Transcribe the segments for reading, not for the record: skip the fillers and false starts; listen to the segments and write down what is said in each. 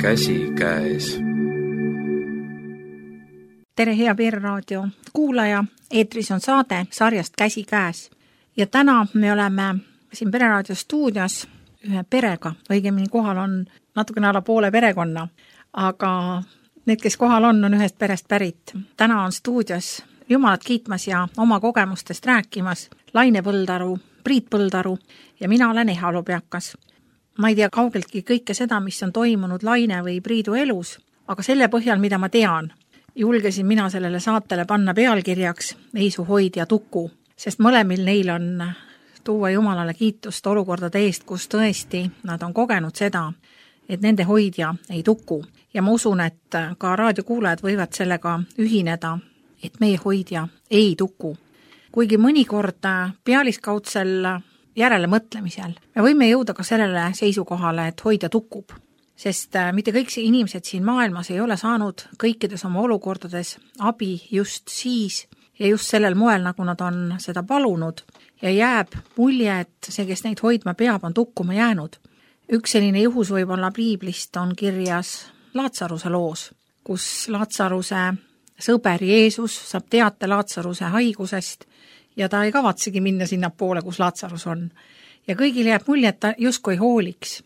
Käsi käes. Tere, hea Pereraadio kuulaja, eetris on saade sarjast Käsi käes. Ja täna me oleme siin Pereraadio stuudios ühe perega, õigemini kohal on natukene alla poole perekonna, aga need, kes kohal on ühest perest pärit. Täna on stuudios Jumalat kiitmas ja oma kogemustest rääkimas Laine Põldaru, Priit Põldaru ja mina olen Eha Lobjakas. Ma ei tea kaugeltki kõike seda, mis on toimunud Laine või Priidu elus, aga selle põhjal, mida ma tean, julgesin mina sellele saatele panna pealkirjaks Ei su hoidja tuku, sest mõlemil neil on tuua Jumalale kiitust olukordade eest, kus tõesti nad on kogenud seda, et nende hoidja ei tuku. Ja ma usun, et ka raadiokuulajad võivad sellega ühineda, et meie hoidja ei tuku. Kuigi mõnikord pealiskaudsel järele mõtlemisel me võime jõuda ka sellele seisukohale, et hoidja tukub. Sest mitte kõik inimesed siin maailmas ei ole saanud kõikides oma olukordades abi just siis ja just sellel moel, nagu nad on seda palunud. Ja jääb mulje, et see, kes neid hoidma peab, on tukkuma jäänud. Üks selline juhus võib-olla piiblist on kirjas Laatsaruse loos, kus Laatsaruse sõber Jeesus saab teate Laatsaruse haigusest ja ta ei kavatsegi minna sinna poole, kus Laatsarus on. Ja kõigil jääb mulje, et ta justkui hooliks.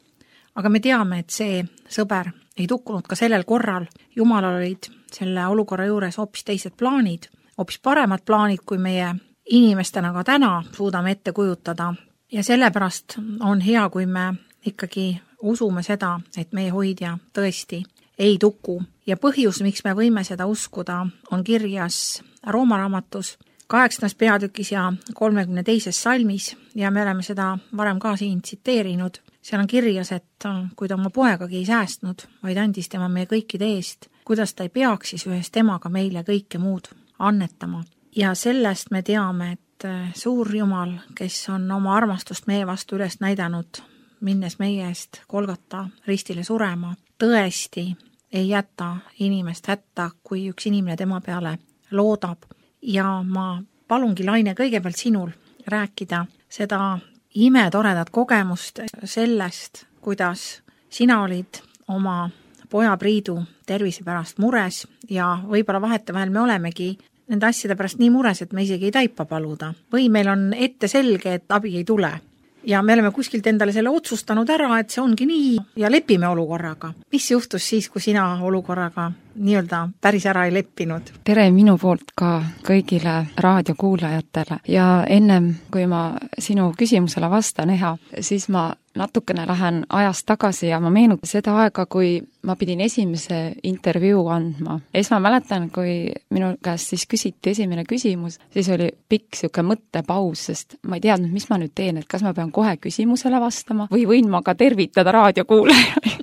Aga me teame, et see sõber ei tukkunud ka sellel korral. Jumalal olid selle olukorra juures hoopis teised plaanid, hoopis paremad plaanid, kui meie inimestena ka täna suudame ette kujutada. Ja sellepärast on hea, kui me ikkagi usume seda, et meie hoidja tõesti ei tuku. Ja põhjus, miks me võime seda uskuda, on kirjas Rooma raamatus 8. peatükis ja 32. salmis ja me oleme seda varem ka siin tsiteerinud. Seal on kirjas, et kui ta oma poegagi ei säästnud, vaid andis tema meie kõikide eest, kuidas ta ei peaks siis ühes temaga meile kõike muud annetama. Ja sellest me teame, et suur Jumal, kes on oma armastust meie vastu üles näidanud, minnes meie eest Golgata ristile surema, tõesti ei jäta inimest hätta, kui üks inimene tema peale loodab. Ja ma palungi, Laine, kõigepealt sinul rääkida seda imetoredat kogemust sellest, kuidas sina olid oma poja Priidu tervise pärast mures ja võib-olla vahetevahel me olemegi nende asjade pärast nii mures, et me isegi ei taipa paluda. Või meil on ette selge, et abi ei tule. Ja me oleme kuskilt endale selle otsustanud ära, et see ongi nii ja lepime olukorraga. Mis juhtus siis, kui sina olukorraga nii-öelda päris ära ei leppinud? Tere minu poolt ka kõigile raadiokuulajatele. Ja ennem, kui ma sinu küsimusele vastan, Eha, siis ma natukene lähen ajast tagasi ja ma meenutan seda aega, kui ma pidin esimese intervjuu andma. Ma mäletan, kui minu käest siis küsiti esimene küsimus, siis oli pikk siuke mõttepaus, sest ma ei teadnud, mis ma nüüd teen, et kas ma pean kohe küsimusele vastama või võin ma ka tervitada raadiokuulajaid.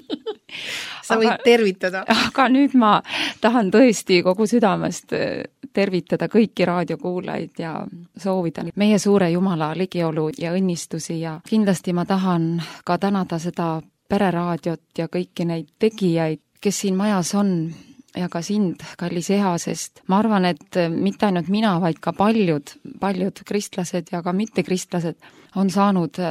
Sa võid tervitada. Aga nüüd ma tahan tõesti kogu südamest tervitada kõiki raadiokuulajaid ja soovida meie suure Jumala ligiolu ja õnnistusi ja kindlasti ma tahan ka tänada seda Pereraadiot ja kõiki neid tegijaid, kes siin majas on ja ka sind, kallis Eha, sest ma arvan, et mitte ainult mina, vaid ka paljud kristlased ja ka mittekristlased on saanud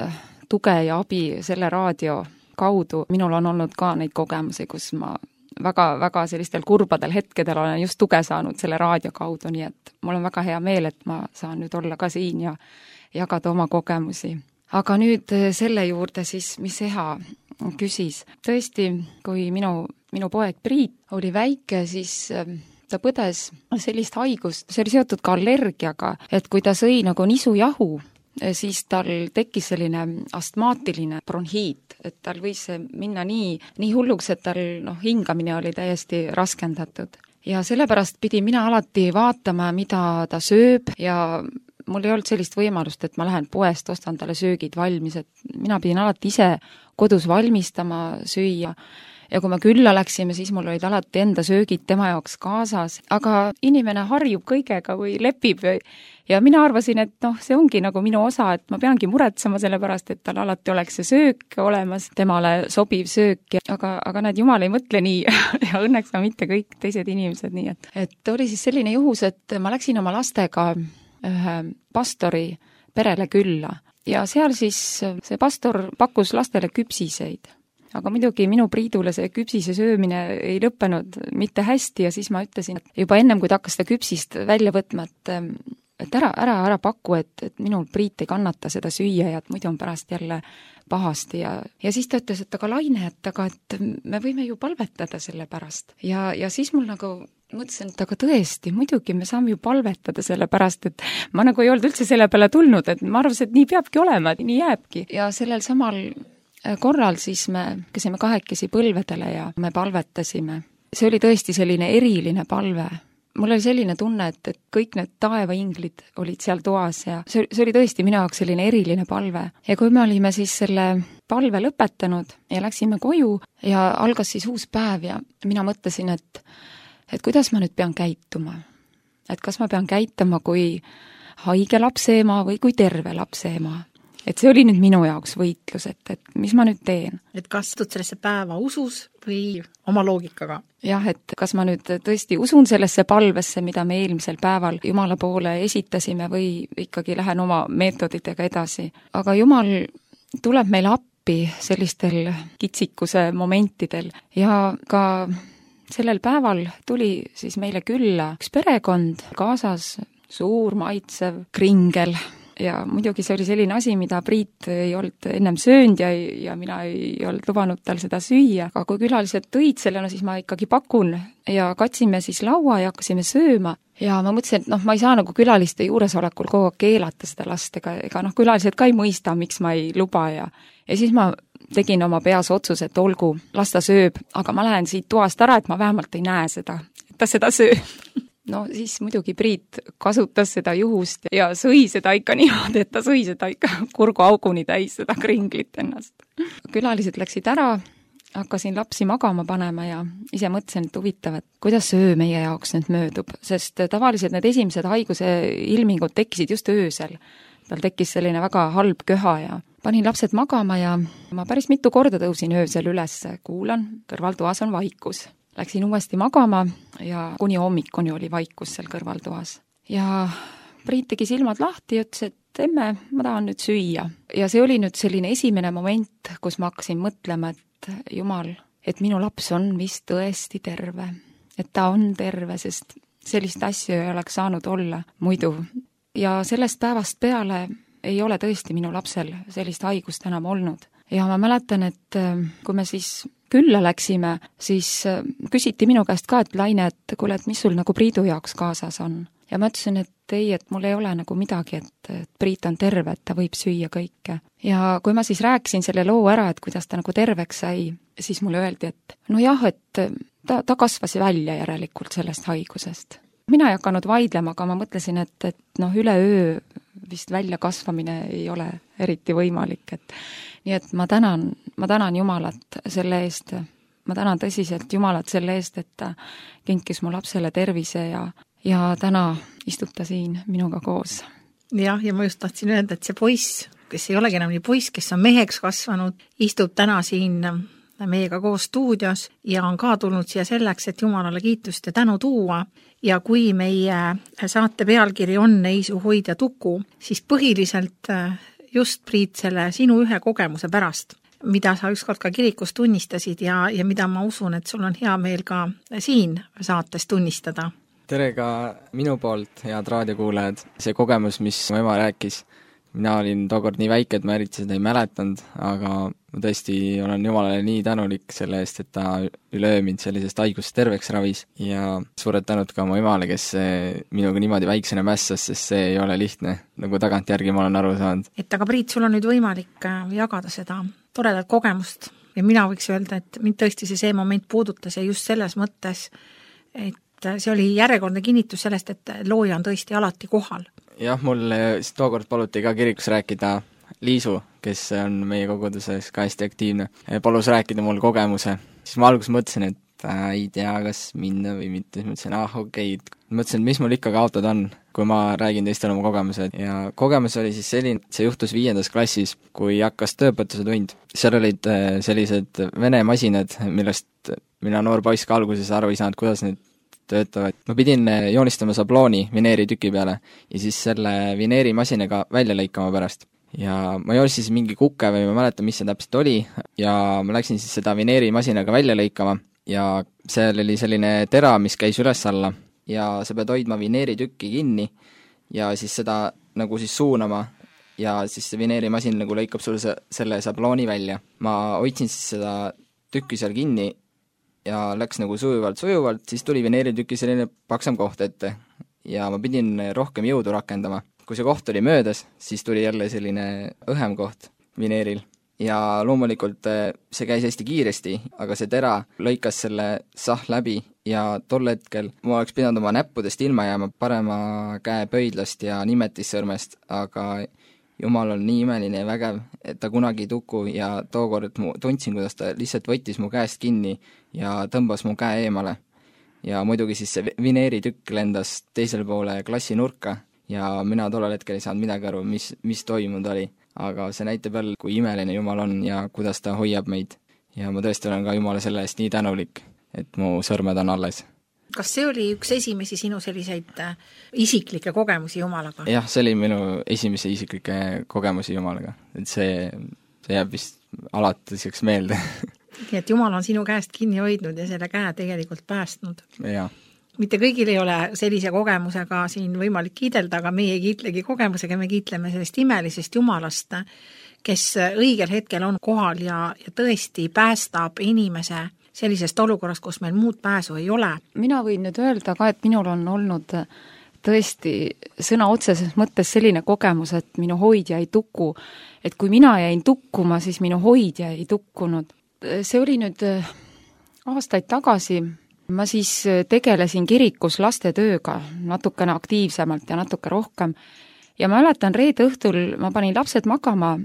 tuge ja abi selle raadio kaudu. Minul on olnud ka neid kogemusi, kus ma väga sellistel kurbadel hetkedel olen just tuge saanud selle raadio kaudu, nii et mul on väga hea meel, et ma saan nüüd olla ka siin ja jagada oma kogemusi. Aga nüüd selle juurde siis, mis Eha küsis. Tõesti, kui minu poeg Priit oli väike, siis ta põdes sellist haigust, see oli seotud ka allergiaga, et kui ta sõi nagu nisujahu, siis tal tekkis selline astmaatiline bronhiit, et tal võis minna nii hulluks, et tal hingamine oli täiesti raskendatud. Ja sellepärast pidin mina alati vaatama, mida ta sööb ja mul ei olnud sellist võimalust, et ma lähen poest, ostan talle söögid valmis, et mina pidin alati ise kodus valmistama süüa. Ja kui me külla läksime, siis mul olid alati enda söögid tema jaoks kaasas, aga inimene harjub kõigega või lepib ja mina arvasin, et see ongi nagu minu osa, et ma peangi muretsema selle pärast, et tal alati oleks see söök olemas, temale sobiv söök, aga näed, Jumal ei mõtle nii ja õnneks ka mitte kõik teised inimesed nii, et oli siis selline juhus, et ma läksin oma lastega ühe pastori perele külla ja seal siis see pastor pakkus lastele küpsiseid. aga muidugi minu Priidule see küpsise söömine ei lõppenud mitte hästi ja siis ma ütlesin, et juba ennem, kui ta hakkas seda küpsist välja võtma, et ära paku, et minul Priit ei kannata seda süüa ja et muidu on pärast jälle pahasti ja siis ta ütles, et aga Laine, et me võime ju palvetada selle pärast. Ja siis mul nagu mõtlesin, et aga tõesti, muidugi me saame ju palvetada selle pärast, et ma nagu ei olnud üldse selle peale tulnud, et ma arvasin, et nii peabki olema, et nii jääbki. Ja sellel samal korral siis me käisime kahekesi põlvedele ja me palvetasime. See oli tõesti selline eriline palve. Mul oli selline tunne, et kõik need taevainglid olid seal toas ja see oli tõesti minu jaoks selline eriline palve. Ja kui me olime siis selle palve lõpetanud ja läksime koju ja algas siis uus päev ja mina mõtlesin, et kuidas ma nüüd pean käituma. Et kas ma pean käituma kui haige lapseema või kui terve lapseema. Et see oli nüüd minu jaoks võitlus, et mis ma nüüd teen. Et kas tud sellesse päeva usus või oma loogikaga? Jah, et kas ma nüüd tõesti usun sellesse palvesse, mida me eelmisel päeval Jumala poole esitasime või ikkagi lähen oma meetoditega edasi. Aga Jumal tuleb meile appi sellistel kitsikuse momentidel ja ka sellel päeval tuli siis meile külla üks perekond, kaasas suur maitsev kringel. Ja muidugi see oli selline asi, mida Priit ei olnud ennem söönud ja mina ei olnud lubanud tal seda süüa. Aga kui külalised tõid selle, siis ma ikkagi pakun ja katsime siis laua ja hakkasime sööma. Ja ma mõtlesin, et ma ei saa nagu külaliste juuresolekul kogu aeg keelata seda last, ega külalised ka ei mõista, miks ma ei luba ja siis ma tegin oma peas otsuse, et olgu, las ta sööb, aga ma lähen siit toast ära, et ma vähemalt ei näe seda, et ta seda sööb. No siis muidugi Priit kasutas seda juhust ja sõi seda ikka niimoodi, et ta sõi seda ikka kurguauguni täis, seda kringlit ennast. Külalised läksid ära, hakkasin lapsi magama panema ja ise mõtlesin, et huvitav, et kuidas öö meie jaoks nüüd möödub, sest tavaliselt need esimesed haiguse ilmingud tekkisid just öösel. Tal tekkis selline väga halb köha ja panin lapsed magama ja ma päris mitu korda tõusin öösel üles, kuulan, kõrvaltoas on vaikus. Läksin uuesti magama ja kuni hommikuni oli vaikus seal kõrvaltoas. Ja Priit tegi silmad lahti ja ütles, et emme, ma tahan nüüd süüa. Ja see oli nüüd selline esimene moment, kus ma hakkasin mõtlema, et Jumal, et minu laps on vist tõesti terve. Et ta on terve, sest sellist asju ei oleks saanud olla muidu. Ja sellest päevast peale ei ole tõesti minu lapsel sellist haigust enam olnud. Ja ma mäletan, et kui me siis külla läksime, siis küsiti minu käest ka, et Laine, et kuule, et mis sul nagu Priidu jaoks kaasas on. Ja ma ütlesin, et ei, et mul ei ole nagu midagi, et Priit on terve, et ta võib süüa kõike. Ja kui ma siis rääkisin selle loo ära, et kuidas ta nagu terveks sai, siis mulle öeldi, et no jah, et ta kasvas välja järelikult sellest haigusest. Mina ei hakanud vaidlema, aga ma mõtlesin, et üleöö vist välja kasvamine ei ole eriti võimalik, et nii et ma tänan Jumalat selle eest, ma tänan tõsiselt Jumalat selle eest, et ta kinkis mu lapsele tervise ja täna istub ta siin minuga koos. Jah, ja ma just tahtsin öelda, et see poiss, kes ei olegi enam nii poiss, kes on meheks kasvanud, istub täna siin meiega koos stuudios ja on ka tulnud siia selleks, et Jumalale kiitust ja tänu tuua. Ja kui meie saate pealkiri on Eisu hoidja tuku, siis põhiliselt just Priit selle sinu ühe kogemuse pärast, mida sa ükskord ka kirikus tunnistasid ja mida ma usun, et sul on hea meel ka siin saates tunnistada. Tere ka minu poolt, head raadiokuulajad. See kogemus, mis mu ema rääkis, mina olin tookord nii väike, et ma eriti seda ei mäletanud, aga ma tõesti olen Jumalale nii tänulik selle eest, et ta üleöö mind sellisest haigust terveks ravis ja suured tänud ka mu emale, kes minuga niimoodi väiksena mässas, sest see ei ole lihtne, nagu tagantjärgi ma olen aru saanud. Et aga Priit, sul on nüüd võimalik jagada seda toredat kogemust ja mina võiks öelda, et mind tõesti see moment puudutas ja just selles mõttes, et see oli järjekordne kinnitus sellest, et looja on tõesti alati kohal. Jah, mul tookord paluti ka kirikus rääkida Liisu, kes on meie koguduses ka hästi aktiivne, palus rääkida mul kogemuse. Siis ma alguses mõtlesin, et ei tea, kas minna või mitte, siis mõtlesin, okei. Mõtlesin, et mis mul ikka kaotada on, kui ma räägin teistele oma kogemused. Ja kogemus oli siis selline, see juhtus 5. klassis, kui hakkas tööõpetuse tund. Seal olid sellised vene masinad, millest mina noor poiss ka alguses aru ei saanud, kuidas need töötavad. Ma pidin joonistama sablooni vineeri tüki peale ja siis selle vineerimasinaga välja lõikama pärast. ja ma joossin siis mingi kuke või ma ei mäleta, mis see täpselt oli, ja ma läksin siis seda vineerimasinaga välja lõikama ja seal oli selline tera, mis käis üles-alla ja sa pead hoidma vineeritükki kinni ja siis seda nagu siis suunama ja siis see vineerimasin nagu lõikab sulle selle sablooni välja. Ma hoidsin siis seda tükki seal kinni ja läks nagu sujuvalt, siis tuli vineeritüki selline paksam koht ette ja ma pidin rohkem jõudu rakendama. Kui see koht oli möödas, siis tuli jälle selline õhem koht vineeril ja loomulikult see käis hästi kiiresti, aga see tera lõikas selle läbi ja tol hetkel ma oleks pidanud oma näppudest ilma jääma parema käe pöidlast ja nimetissõrmest, aga Jumal on nii imeline ja vägev, et ta kunagi ei tuku ja tookord tundsin, kuidas ta lihtsalt võttis mu käest kinni ja tõmbas mu käe eemale. Ja muidugi siis see vineeritükk lendas teisele poole klassi nurka ja mina tollel hetkel ei saanud midagi aru, mis toimunud oli. Aga see näitab jälle, kui imeline Jumal on ja kuidas ta hoiab meid. Ja ma tõesti olen ka Jumala selle eest nii tänulik, et mu sõrmed on alles. Kas see oli üks esimesi sinu selliseid isiklikke kogemusi Jumalaga? Jah, see oli minu esimese isiklikke kogemusi Jumalaga. Et see jääb vist alatiseks meelde. Nii et Jumal on sinu käest kinni hoidnud ja selle käe tegelikult päästnud. Jaa. Mitte kõigil ei ole sellise kogemusega siin võimalik kiidelda, aga meie ei kiitlegi kogemusega, me kiitleme sellest imelisest Jumalast, kes õigel hetkel on kohal ja tõesti päästab inimese sellisest olukorrast, kus meil muud pääsu ei ole. Mina võin nüüd öelda ka, et minul on olnud tõesti sõna otseses mõttes selline kogemus, et minu hoidja ei tuku. Et kui mina jäin tukkuma, siis minu hoidja ei tukkunud. See oli nüüd aastaid tagasi. Ma siis tegelesin kirikus lastetööga natukene aktiivsemalt ja natuke rohkem. Ja ma mäletan, reede õhtul ma panin lapsed magama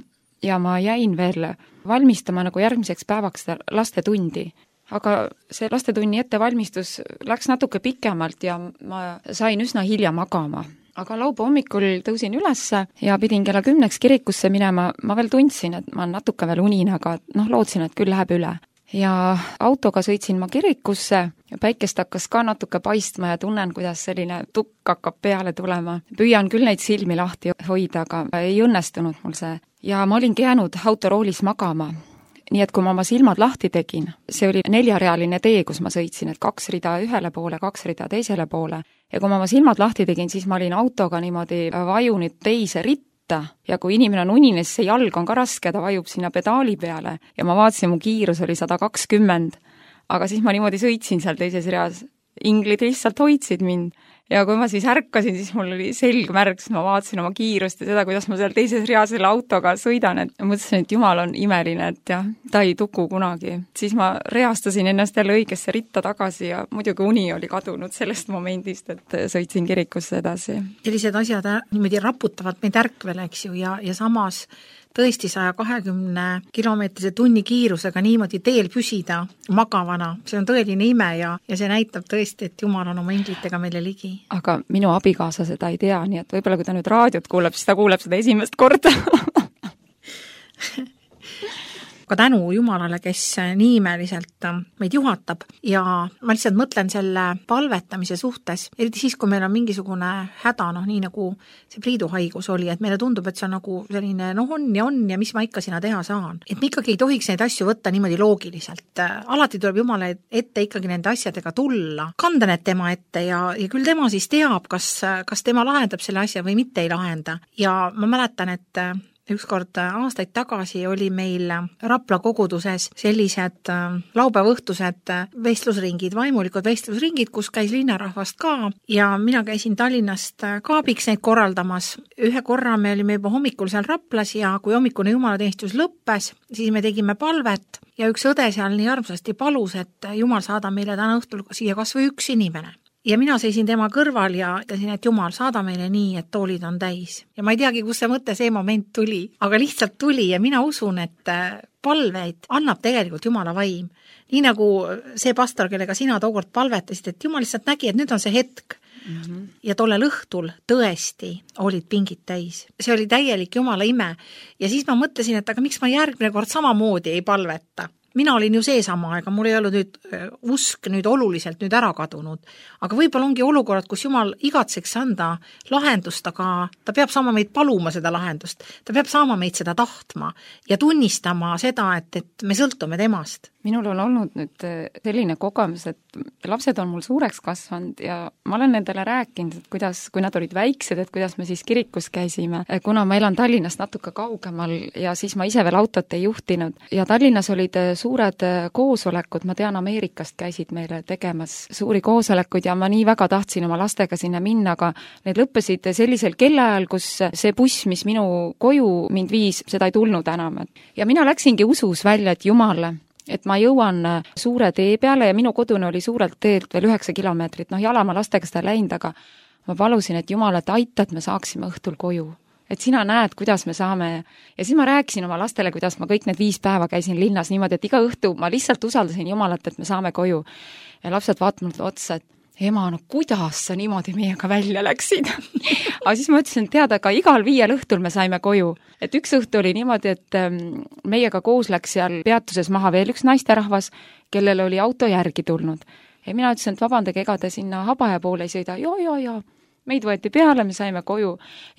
ja ma jäin veel valmistama nagu järgmiseks päevaks lastetundi. Aga see lastetunni ettevalmistus läks natuke pikemalt ja ma sain üsna hilja magama. Aga laupäeva hommikul tõusin ülesse ja pidin kella 10 kirikusse minema. Ma veel tundsin, et ma natuke veel unin, aga lootsin, et küll läheb üle. Ja autoga sõitsin ma kirikusse ja päikest hakkas ka natuke paistma ja tunnen, kuidas selline tukk hakkab peale tulema. Püüan küll neid silmi lahti hoida, aga ei õnnestunud mul see. Ja ma olingi jäänud autoroolis magama. Nii et kui ma oma silmad lahti tegin, see oli 4-realine tee, kus ma sõitsin, et 2 rida ühele poole, 2 rida teisele poole. Ja kui ma oma silmad lahti tegin, siis ma olin autoga niimoodi vajunud teise ritta ja kui inimene on unines, see jalg on ka raske, ta vajub sinna pedaali peale ja ma vaatasin, mu kiirus oli 120, aga siis ma niimoodi sõitsin seal teises reas. Inglid lihtsalt hoidsid mind ja kui ma siis ärkasin, siis mul oli selgmärk, siis ma vaatasin oma kiirust ja seda, kuidas ma seal teises reas selle autoga sõidan, et mõtlesin, et Jumal on imeline, et jah, ta ei tuku kunagi. Siis ma reastasin ennast jälle õigesse ritta tagasi ja muidugi uni oli kadunud sellest momendist, et sõitsin kirikusse edasi. Sellised asjad niimoodi raputavad meid ärkvele, eks ju, ja samas tõesti 120 kilomeetrise tunni kiirusega niimoodi teel püsida magavana. See on tõeline ime ja see näitab tõesti, et Jumal on oma inglitega meile ligi. Aga minu abikaasa seda ei tea, nii et võib-olla kui ta nüüd raadiot kuuleb, siis ta kuuleb seda esimest korda. Aga tänu Jumalale, kes nii imeliselt meid juhatab ja ma lihtsalt mõtlen selle palvetamise suhtes, eriti siis, kui meil on mingisugune häda, nii nagu see pliiduhaigus oli, et meile tundub, et see on nagu selline on ja mis ma ikka sina teha saan. Et me ikkagi ei tohiks neid asju võtta niimoodi loogiliselt. Alati tuleb Jumala ette ikkagi nende asjadega tulla, kanda need tema ette ja küll tema siis teab, kas tema lahendab selle asja või mitte ei lahenda. Ja ma mäletan, et ükskord aastaid tagasi oli meil Rapla koguduses sellised laupäevaõhtused vestlusringid, vaimulikud vestlusringid, kus käis linnarahvast ka ja mina käisin Tallinnast kaabiks neid korraldamas. Ühe korra me olime juba hommikul seal Raplas ja kui hommikune jumalateenistus lõppes, siis me tegime palvet ja üks õde seal nii armsasti palus, et Jumal saada meile täna õhtul siia kas või üks inimene. Ja mina seisin tema kõrval ja ütlesin, et Jumal, saada meile nii, et toolid on täis. Ja ma ei teagi, kus see mõte see moment tuli, aga lihtsalt tuli ja mina usun, et palveid annab tegelikult Jumala vaim. Nii nagu see pastor, kellega sina tookord palvetasid, et Jumal lihtsalt nägi, et nüüd on see hetk. Ja tollel õhtul tõesti olid pingid täis. See oli täielik Jumala ime. Ja siis ma mõtlesin, et aga miks ma järgmine kord samamoodi ei palveta. mina olin ju seesama, ega mul ei olnud nüüd usk nüüd oluliselt nüüd ära kadunud, aga võib-olla ongi olukorrad, kus Jumal igatseks anda lahendust, aga ta peab saama meid paluma seda lahendust, ta peab saama meid seda tahtma ja tunnistama seda, et me sõltume temast. Minul on olnud nüüd selline kogemus, et lapsed on mul suureks kasvanud ja ma olen nendele rääkinud, et kuidas, kui nad olid väiksed, et kuidas me siis kirikus käisime, kuna ma elan Tallinnast natuke kaugemal ja siis ma ise veel autot ei juhtinud ja Tallinnas olid suured koosolekud, ma tean, Ameerikast käisid meile tegemas suuri koosolekuid ja ma nii väga tahtsin oma lastega sinna minna, aga need lõppesid sellisel kellaajal, kus see buss, mis minu koju mind viis, seda ei tulnud enam. Ja mina läksingi usus välja, et Jumal, et ma jõuan suure tee peale ja minu kodune oli suurelt teelt veel 9 kilomeetrit, jala ma lastega seda läinud, aga ma palusin, et Jumal, et aita, et me saaksime õhtul koju. Et sina näed, kuidas me saame, ja siis ma rääkisin oma lastele, kuidas ma kõik need 5 päeva käisin linnas niimoodi, et iga õhtu ma lihtsalt usaldasin Jumalat, et me saame koju. Ja lapsed vaatavad otsa, et ema, no kuidas sa niimoodi meiega välja läksid? Aga siis ma ütlesin, teada, aga igal 5 õhtul me saime koju. Et üks õhtu oli niimoodi, et meiega koos läks seal peatuses maha veel üks naisterahvas, kellel oli auto järgi tulnud. Ja mina ütlesin, et vabandage, ega te sinna Habaja poole ei sõida. Ja. Meid võeti peale, me saime koju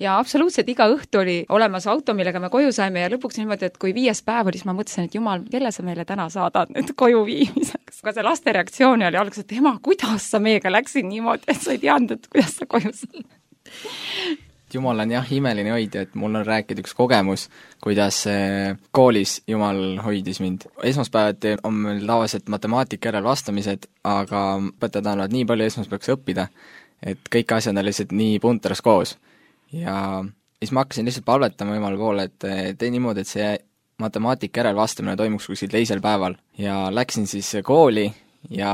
ja absoluutselt iga õhtu oli olemas auto, millega me koju saime ja lõpuks niimoodi, et kui 5. päev oli, siis ma mõtlesin, et Jumal, kelle sa meile täna saadad nüüd koju viimiseks. Aga see laste reaktsioon oli alguses, et ema, kuidas sa meiega läksid niimoodi, et sa ei teadnud, et kuidas sa koju saad. Jumal on jah imeline hoidja, et mul on rääkida üks kogemus, kuidas koolis Jumal hoidis mind. Esmaspäevati on meil tavaliselt matemaatika järel vastamised, aga õpetajad annavad nii palju esmaspäevaks õppida, et kõik asjad on lihtsalt nii punteras koos. Ja siis ma hakkasin lihtsalt palvetama Jumala poole, et tee niimoodi, et see matemaatika järel vastamine toimuks kuskil teisel päeval. Ja läksin siis kooli ja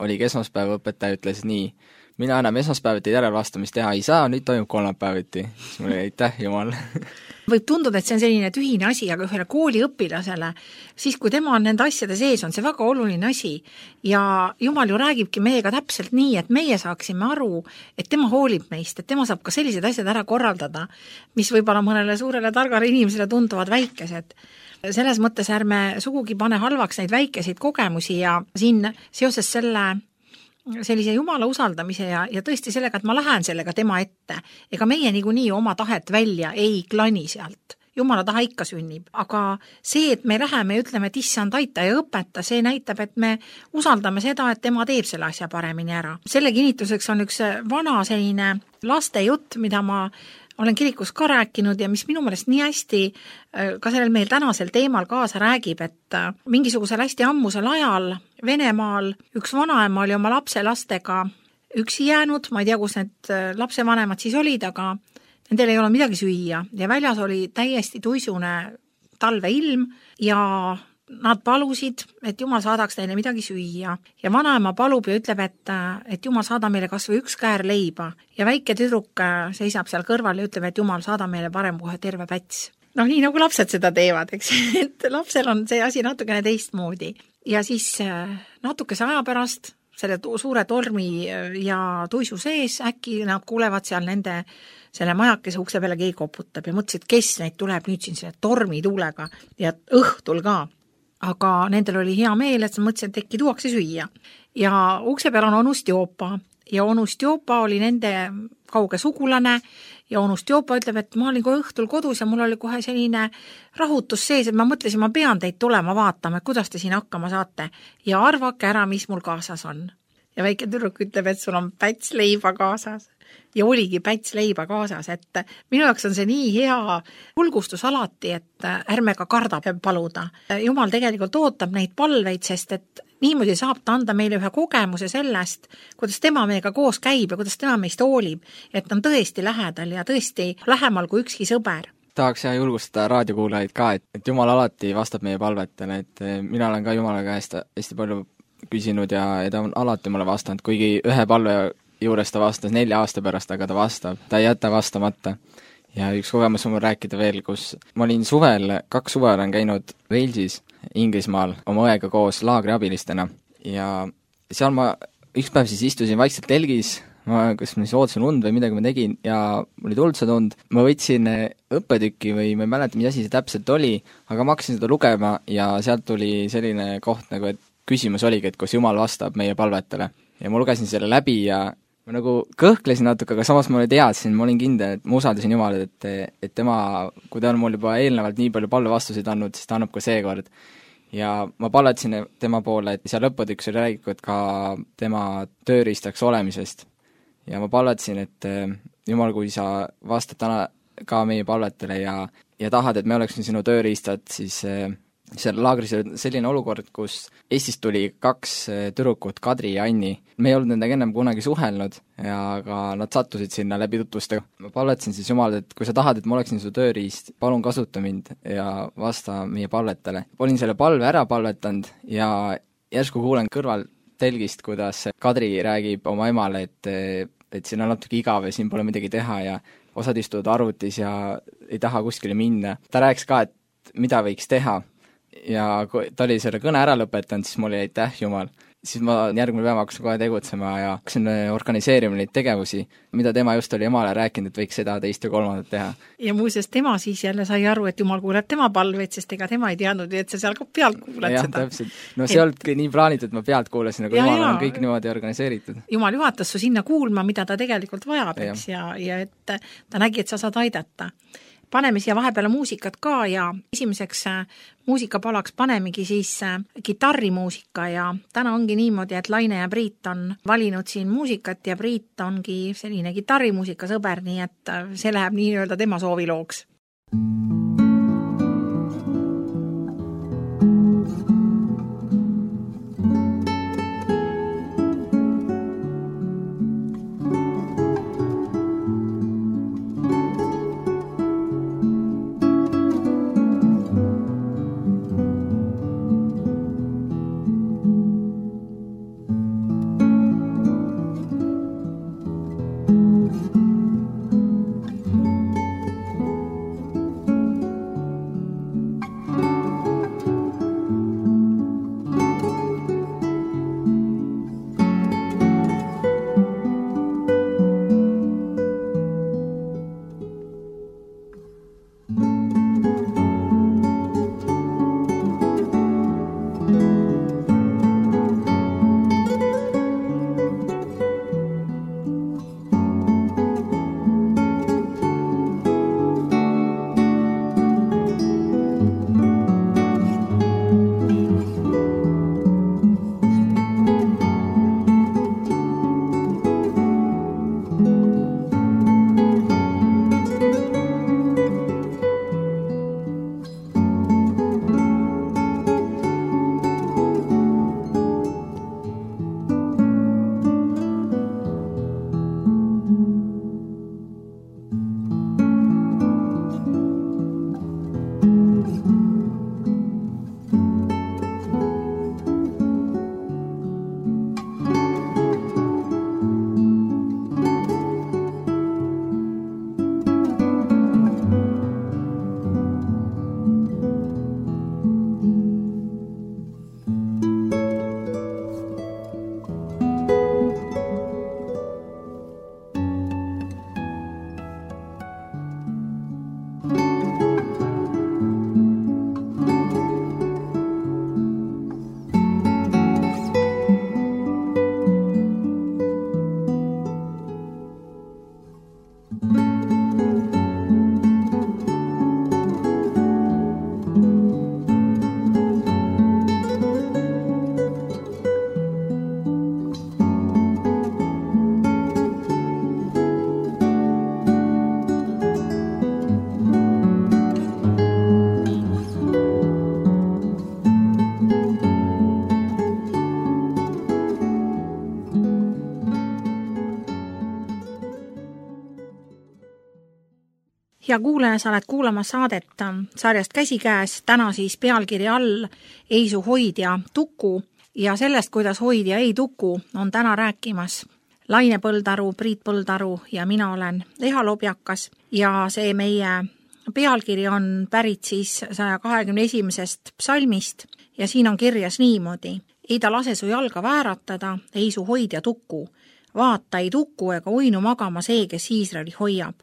oligi esmaspäeva õpetaja ütles nii, mina enam esmaspäevati järelvastamist teha ei saa, nüüd toimub kolmapäeviti. Siis mul oli aitäh, Jumal. Võib tunduda, et see on selline tühine asi, aga ühele kooliõpilasele, siis kui tema on nende asjade sees, on see väga oluline asi. Ja Jumal ju räägibki meiega täpselt nii, et meie saaksime aru, et tema hoolib meist, et tema saab ka sellised asjad ära korraldada, mis võib-olla mõnele suurele targale inimesele tunduvad väikesed. Selles mõttes ärme sugugi pane halvaks neid väikeseid kogemusi ja siin seoses sellise Jumala usaldamise ja tõesti sellega, et ma lähen sellega tema ette. Ega meie niikuinii oma tahet välja ei klani sealt. Jumala taha ikka sünnib. Aga see, et me läheme ja ütleme, et issand aita ja õpeta, see näitab, et me usaldame seda, et tema teeb selle asja paremini ära. Selle kinnituseks on üks vana selline lastejutt, mida ma olen kirikus ka rääkinud ja mis minu meelest nii hästi ka sellel meil tänasel teemal kaasa räägib, et mingisugusel hästi ammusel ajal Venemaal üks vanaema oli oma lapselastega üksi jäänud, ma ei tea, kus need lapsevanemad siis olid, aga nendel ei ole midagi süüa ja väljas oli täiesti tuisune talveilm ja nad palusid, et Jumal saadaks neile midagi süüa. Ja vanaema palub ja ütleb, et Jumal saada meile kas või üks käär leiba. Ja väike tüdruk seisab seal kõrval ja ütleb, et Jumal saada meile parem kohe terve päts. Nii nagu lapsed seda teevad, eks, et lapsel on see asi natukene teistmoodi. Ja siis natukese aja pärast selle suure tormi ja tuisu sees äkki nad kuulevad seal selle majakese ukse peale keegi koputab ja mõtlesid, kes neid tuleb nüüd siin selle tormi tuulega ja õhtul ka. Aga nendel oli hea meel, et sa mõtlesid, et äkki tuuakse süüa. Ja ukse peal on onu Stjopa ja onu Stjopa oli nende kauge sugulane ja onu Stjopa ütleb, et ma olin kohe õhtul kodus ja mul oli kohe selline rahutus sees, et ma mõtlesin, ma pean teid tulema vaatama, et kuidas te siin hakkama saate ja arvake ära, mis mul kaasas on. Ja väike tüdruk ütleb, et sul on päts leiba kaasas. Ja oligi päts leiba kaasas, et minu jaoks on see nii hea hulgustus alati, et ärme ka karda paluda. Jumal tegelikult ootab neid palveid, sest et niimoodi saab ta anda meile ühe kogemuse sellest, kuidas tema meiega koos käib ja kuidas tema meist hoolib, et ta on tõesti lähedal ja tõesti lähemal kui ükski sõber. Tahaks julgustada raadiokuulajaid ka, et Jumal alati vastab meie palvetele, et mina olen ka Jumala käest hästi palju küsinud ja ta on alati mulle vastanud, kuigi ühe palve juures ta vastas 4 aasta pärast, aga ta vastab. Ta ei jäta vastamata. Ja üks kogemus on mul rääkida veel, kus ma olin 2 suve olen käinud Walesis, Inglismaal, oma õega koos laagriabilistena. Ja seal ma üks päev siis istusin vaikselt telgis, kas ma siis ootasin und või midagi ma tegin ja mul oli tuldsed und, ma võtsin õppetükki või ma ei mäleta, mis asi see täpselt oli, aga ma hakkasin seda lugema ja sealt tuli selline koht nagu, et küsimus oligi, et kus Jumal vastab meie palvetele. Ja ma lugesin selle läbi ja ma nagu kõhklesin natuke, aga samas ma teadsin, ma olin kindel, et ma usaldasin Jumalat, et tema, kui ta on mul juba eelnevalt nii palju palvevastuseid andnud, siis ta annab ka seekord. Ja ma palvetasin tema poole, et seal õppetükis oli räägitud ka tema tööriistaks olemisest. Ja ma palvetasin, et Jumal, kui sa vastad täna ka meie palvetele ja tahad, et me oleksime sinu tööriistad, siis seal laagris oli selline olukord, kus Eestist tuli 2 tüdrukut, Kadri ja Anni. Me ei olnud nendega ennem kunagi suhelnud ja ka nad sattusid sinna läbi tutvustega. Ma palvetasin siis Jumal, et kui sa tahad, et ma oleksin su tööriist, palun kasuta mind ja vasta meie palvetele. Olin selle palve ära palvetanud ja järsku kuulen kõrval telgist, kuidas Kadri räägib oma emale, et siin on natuke igav ja siin pole midagi teha ja osad istuvad arvutis ja ei taha kuskile minna. Ta rääkis ka, et mida võiks teha ja kui ta oli selle kõne ära lõpetanud, siis mul oli aitäh Jumal. Siis ma järgmine päev hakkasin kohe tegutsema ja hakkasin organiseerima neid tegevusi, mida tema just oli emale rääkinud, et võiks seda, teist ja kolmandat teha. Ja muuseas tema siis jälle sai aru, et Jumal kuuleb tema palveid, sest ega tema ei teadnud, et sa seal ka pealt kuuled ja, seda. Täpselt. No see olidki nii plaanitud, ma pealt kuulasin, aga Jumal on kõik niimoodi organiseeritud. Jumal juhatas su sinna kuulma, mida ta tegelikult vajab, eks, ja et ta nägi, et sa saad aidata. Paneme siia vahepeale muusikat ka ja esimeseks muusikapalaks panemegi siis kitarrimuusika ja täna ongi niimoodi, et Laine ja Priit on valinud siin muusikat ja Priit ongi selline kitarrimuusika sõber, nii et see läheb nii-öelda tema soovilooks. Ja kuulaja, sa oled kuulama saadet sarjast Käsikäes, täna siis pealkiri all Eisu hoidja Tuku ja sellest, kuidas hoidja ei tuku, on täna rääkimas Laine Põldaru, Priit Põldaru ja mina olen Eha Lobjakas ja see meie pealkiri on pärit siis 121. psalmist ja siin on kirjas niimoodi. Ei ta lase su jalga vääratada, ei su hoidja tuku, vaata ei tuku ega uinu magama see, kes Iisraeli hoiab.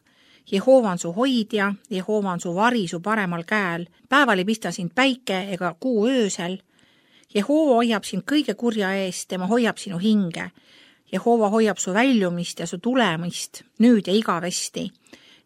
Jehova on su hoidja, Jehova on su vari su paremal käel, päeval ei pista sind päike ega kuu öösel. Jehova hoiab sind kõige kurja eest, tema hoiab sinu hinge. Jehova hoiab su väljumist ja su tulemist nüüd ja igavesti.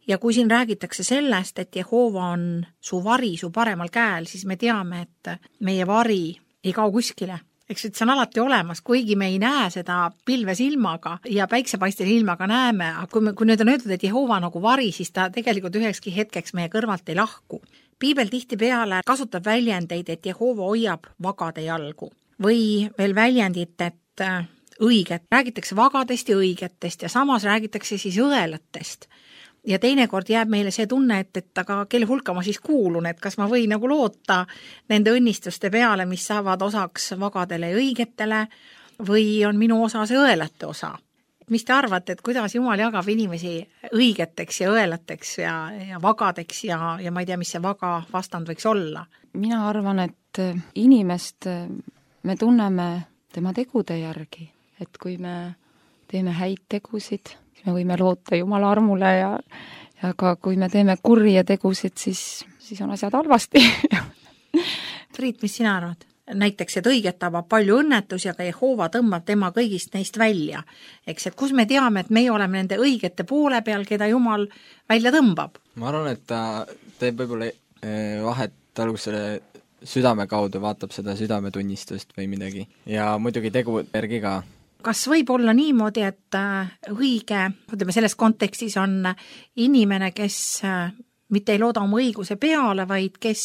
Ja kui siin räägitakse sellest, et Jehova on su vari su paremal käel, siis me teame, et meie vari ei kao kuskile. Eks see on alati olemas, kuigi me ei näe seda pilve silmaga ja päiksepaistel ilmaga näeme, aga kui nüüd on öeldud, et Jehova nagu vari, siis ta tegelikult ühekski hetkeks meie kõrvalt ei lahku. Piibel tihtipeale kasutab väljendeid, et Jehova hoiab vagade jalgu või veel väljendit, et õiget. Räägitakse vagadest ja õigetest ja samas räägitakse siis õelatest. Ja teinekord jääb meile see tunne, et aga kelle hulka ma siis kuulun, et kas ma võin nagu loota nende õnnistuste peale, mis saavad osaks vagadele ja õigetele või on minu osa see õelate osa. Mis te arvate, et kuidas Jumal jagab inimesi õigeteks ja õelateks ja vagadeks ja ma ei tea, mis see vaga vastand võiks olla? Mina arvan, et inimest me tunneme tema tegude järgi, et kui me teeme häid tegusid, me võime loota Jumala armule ja ka kui me teeme kurje tegusid, siis on asjad halvasti. Priit, mis sina arvad? Näiteks, et õiget tabab palju õnnetusi, aga Jehova tõmbab tema kõigist neist välja. Eks, et kus me teame, et meie oleme nende õigete poole peal, keda Jumal välja tõmbab? Ma arvan, et ta teeb võib-olla vahet alguses selle südame kaudu, vaatab seda südametunnistust või midagi. Ja muidugi tegu järgi ka. Kas võib olla niimoodi, et õige, ütleme selles kontekstis on inimene, kes mitte ei looda oma õiguse peale, vaid kes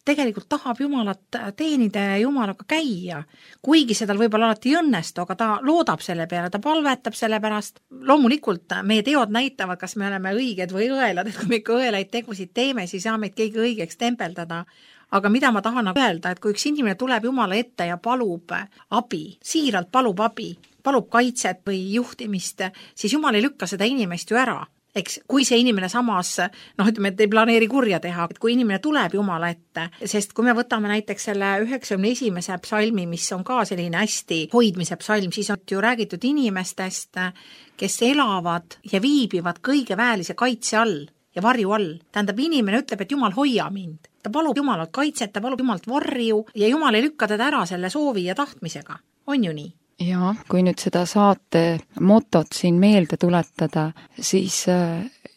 tegelikult tahab Jumalat teenida ja Jumalaga käia, kuigi seda võib-olla alati ei õnnestu, aga ta loodab selle peale, ta palvetab selle pärast. Loomulikult meie teod näitavad, kas me oleme õiged või õelad, et kui me ikka õelaid tegusid teeme, siis saa meid keegi õigeks tempeldada. Aga mida ma tahan öelda, et kui üks inimene tuleb Jumala ette ja palub abi, siiralt palub abi, palub kaitset või juhtimist, siis Jumal ei lükka seda inimest ju ära. Eks, kui see inimene samas, ütleme, et ei planeeri kurja teha, et kui inimene tuleb Jumala ette, sest kui me võtame näiteks selle 91. psalmi, mis on ka selline hästi hoidmise psalm, siis on ju räägitud inimestest, kes elavad ja viibivad kõige väelise kaitse all ja varju all. Tähendab, inimene ütleb, et Jumal hoia mind. Ta palub Jumalalt kaitset, ta palub Jumalalt varju ja Jumal ei lükka teda ära selle soovi ja tahtmisega. On ju nii? Jaa, kui nüüd seda saate motot siin meelde tuletada, siis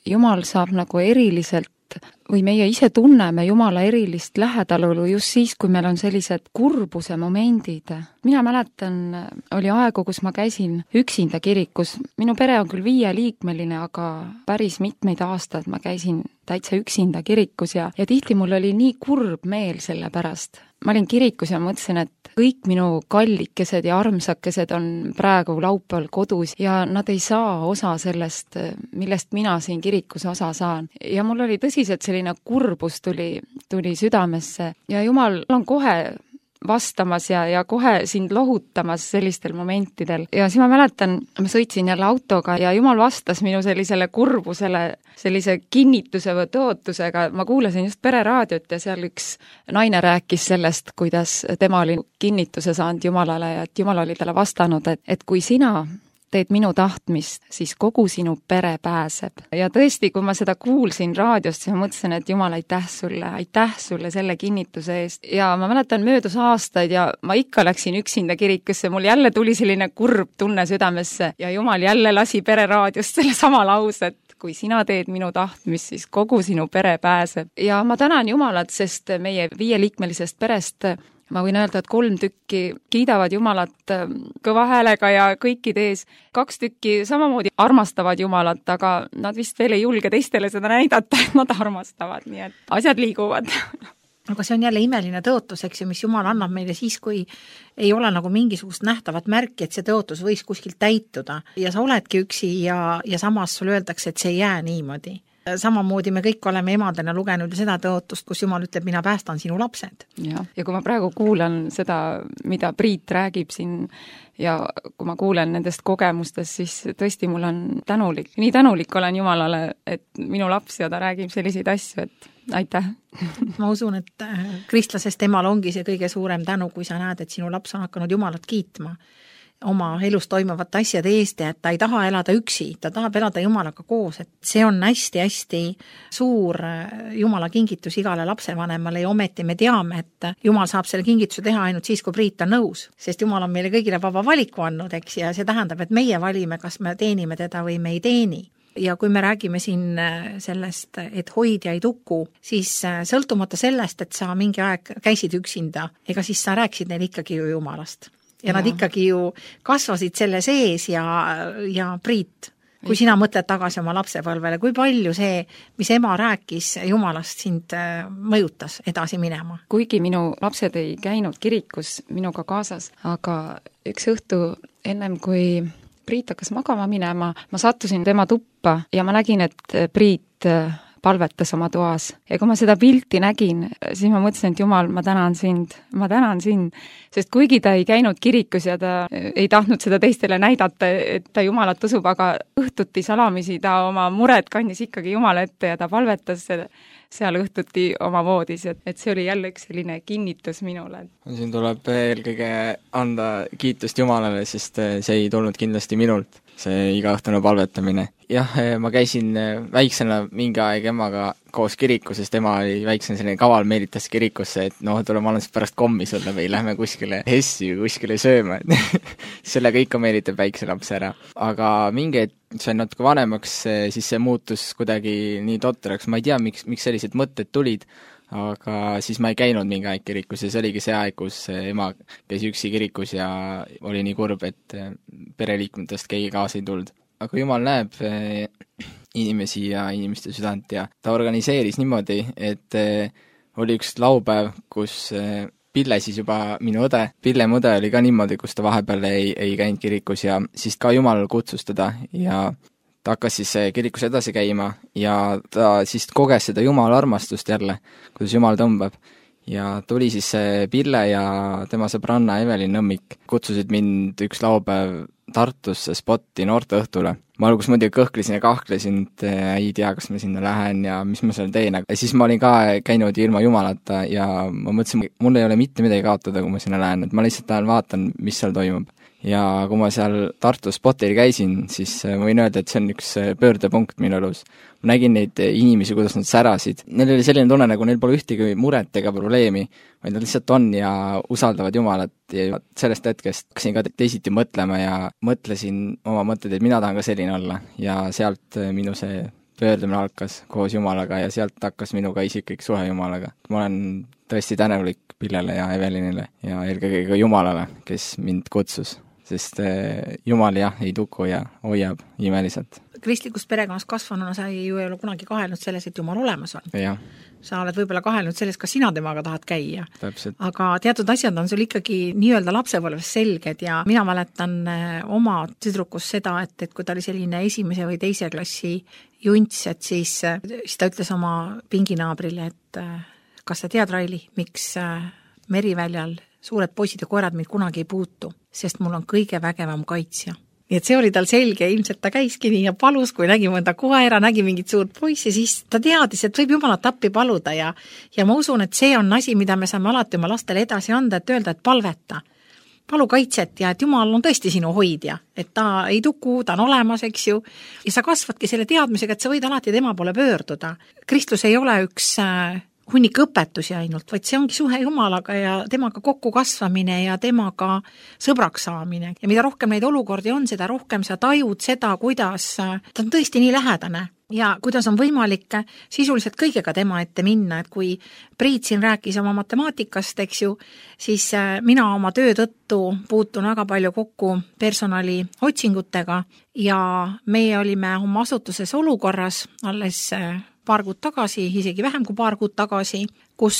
Jumal saab nagu eriliselt või meie ise tunneme Jumala erilist lähedalolu just siis, kui meil on sellised kurbuse momendid. Mina mäletan, oli aegu, kus ma käisin üksinda kirikus. Minu pere on küll 5-liikmeline, aga päris mitmeid aastaid ma käisin täitsa üksinda kirikus ja tihti mul oli nii kurb meel selle pärast. Ma olin kirikus ja mõtlesin, et kõik minu kallikesed ja armsakesed on praegu laupäeval kodus ja nad ei saa osa sellest, millest mina siin kirikus osa saan. Ja mul oli tõsiselt selline kurbus tuli südamesse ja Jumal on kohe vastamas ja kohe sind lohutamas sellistel momentidel. Ja siis ma mäletan, ma sõitsin jälle autoga ja Jumal vastas minu sellisele kurbusele sellise kinnituse või tõotusega. Ma kuulasin just pereraadiot ja seal üks naine rääkis sellest, kuidas tema oli kinnituse saanud Jumalale ja et Jumal oli talle vastanud, et kui sina teed minu tahtmist, siis kogu sinu pere pääseb. Ja tõesti, kui ma seda kuulsin raadiost, siis ma mõtlesin, et Jumal, aitäh sulle selle kinnituse eest. Ja ma mäletan möödus aastaid ja ma ikka läksin üksinda kirikusse, mul jälle tuli selline kurb tunne südamesse ja Jumal jälle lasi pereraadiost selle sama lause, et kui sina teed minu tahtmist, siis kogu sinu pere pääseb. Ja ma tänan Jumalat, sest meie 5-liikmelisest perest ma võin öelda, et 3 tükki kiidavad Jumalat kõva häälega ja kõikide ees. 2 tükki samamoodi armastavad Jumalat, aga nad vist veel ei julge teistele seda näidata, et nad armastavad, nii et asjad liiguvad. Aga see on jälle imeline tõotus, eks ju, mis Jumal annab meile siis, kui ei ole nagu mingisugust nähtavat märki, et see tõotus võiks kuskilt täituda. Ja sa oledki üksi ja samas sul öeldakse, et see ei jää niimoodi. Samamoodi me kõik oleme emadena lugenud seda tõotust, kus Jumal ütleb, mina päästan sinu lapsed. Ja kui ma praegu kuulan seda, mida Priit räägib siin ja kui ma kuulen nendest kogemustest, siis tõesti mul on tänulik. Nii tänulik olen Jumalale, et minu laps ja ta räägib selliseid asju, et aitäh. Ma usun, et kristlasest emal ongi see kõige suurem tänu, kui sa näed, et sinu laps on hakanud Jumalat kiitma. oma elus toimuvate asjade eest ja et ta ei taha elada üksi, ta tahab elada Jumalaga koos, et see on hästi-hästi suur Jumala kingitus igale lapsevanemale ja ometi me teame, et Jumal saab selle kingituse teha ainult siis, kui Priit on nõus, sest Jumal on meile kõigile vaba valiku andnud, eks, ja see tähendab, et meie valime, kas me teenime teda või me ei teeni. Ja kui me räägime siin sellest, et hoidja ei tuku, siis sõltumata sellest, et sa mingi aeg käisid üksinda, ega siis sa rääkisid neile ikkagi ju Jumalast. Ja nad ikkagi ju kasvasid selle sees ja Priit, kui sina mõtled tagasi oma lapsepõlvele, kui palju see, mis ema rääkis Jumalast, sind mõjutas edasi minema? Kuigi minu lapsed ei käinud kirikus minuga kaasas, aga üks õhtu ennem kui Priit hakkas magama minema, ma sattusin tema tuppa ja ma nägin, et Priit palvetas oma toas. Ja kui ma seda pilti nägin, siis ma mõtlesin, et Jumal, ma tänan sind, sest kuigi ta ei käinud kirikus ja ta ei tahtnud seda teistele näidata, et ta Jumalat usub, aga õhtuti salamisi ta oma mured kandis ikkagi Jumala ette ja ta palvetas seal õhtuti oma voodis, et see oli jälle üks selline kinnitus minule. Siin tuleb eelkõige anda kiitust Jumalale, sest see ei tulnud kindlasti minult, see igaõhtune palvetamine. Jah, ma käisin väiksena mingi aeg emaga koos kirikus, sest ema oli väiksena selline kaval, meelitas kirikusse, et tule ma annan pärast kommi sulle või lähme kuskile hessi või kuskile sööma, sellega ikka meelitab väikse lapse ära. Aga mingi sain natuke vanemaks, siis see muutus kuidagi nii totraks, ma ei tea, miks sellised mõtted tulid, aga siis ma ei käinud mingi aeg kirikus ja see oligi see aeg, kus ema käis üksi kirikus ja oli nii kurb, et pereliikmetest keegi kaasa ei tulnud. Aga Jumal näeb inimesi ja inimeste südant ja ta organiseeris niimoodi, et oli üks laupäev, kus Pille siis juba minu õde, Pille mu õde oli ka niimoodi, kus ta vahepeal ei käinud kirikus ja siis ka Jumal kutsus teda ja ta hakkas siis kirikus edasi käima ja ta siis koges seda Jumala armastust jälle, kuidas Jumal tõmbab. Ja tuli siis Pille ja tema sõbranna Evelin Nõmmik kutsusid mind üks laupäev Tartusse spotti noorteõhtule. Ma alguses muidugi kõhklesin ja kahklesin, et ei tea, kas ma sinna lähen ja mis ma seal teen. Ja siis ma olin ka käinud ilma Jumalata ja ma mõtlesin, mul ei ole mitte midagi kaotada, kui ma sinna lähen, et ma lihtsalt vaatan, mis seal toimub. Ja kui ma seal Tartu spotil käisin, siis ma võin öelda, et see on üks pöördepunkt minu elus. Ma nägin neid inimesi, kuidas nad särasid. Neil oli selline tunne, nagu neil pole ühtegi muret ega probleemi, vaid nad lihtsalt on ja usaldavad Jumalat ja sellest hetkest hakkasin ka teisiti mõtlema ja mõtlesin oma mõtted, et mina tahan ka selline olla ja sealt minu see pöördumine algas koos Jumalaga ja sealt hakkas minuga isiklik suhe Jumalaga. Ma olen tõesti tänulik Pillele ja Evelinile ja eelkõige ka Jumalale, kes mind kutsus. Sest Jumal ei tuku ja hoiab imeliselt. Kristlikus perekonnas kasvanuna sa ju ei ole kunagi kahelnud selles, et Jumal olemas on. Ja. Sa oled võib-olla kahelnud selles, kas sina temaga tahad käia. Täpselt. Aga teatud asjad on sul ikkagi nii-öelda lapsepõlves selged ja mina mäletan oma tüdrukus seda, et kui ta oli selline esimese või teise klassi junts, et siis ta ütles oma pinginaabrile, et kas sa tead, Raili, miks Meriväljal suured poisid ja koerad mind kunagi ei puutu, sest mul on kõige vägevam kaitsja. Nii et see oli tal selge, ilmselt ta käiski nii ja palus, kui nägi mõnda koera, nägi mingit suurt poissi, siis ta teadis, et võib Jumalat appi paluda ja ma usun, et see on asi, mida me saame alati oma lastele edasi anda, et öelda, et palveta. Palu kaitset ja et Jumal on tõesti sinu hoidja, et ta ei tuku, ta on olemas, eks ju, ja sa kasvadki selle teadmisega, et sa võid alati tema poole pöörduda. Kristus ei ole üks hunnik õpetusi ainult, vaid see ongi suhe Jumalaga ja temaga kokku kasvamine ja temaga sõbraks saamine. Ja mida rohkem neid olukordi on, seda rohkem sa tajud seda, kuidas ta on tõesti nii lähedane ja kuidas on võimalik sisuliselt kõigega tema ette minna, et kui Priit siin rääkis oma matemaatikast, eks ju, siis mina oma töö tõttu puutun väga palju kokku personali otsingutega ja meie olime oma asutuses olukorras alles paar kuud tagasi, isegi vähem kui paar kuud tagasi, kus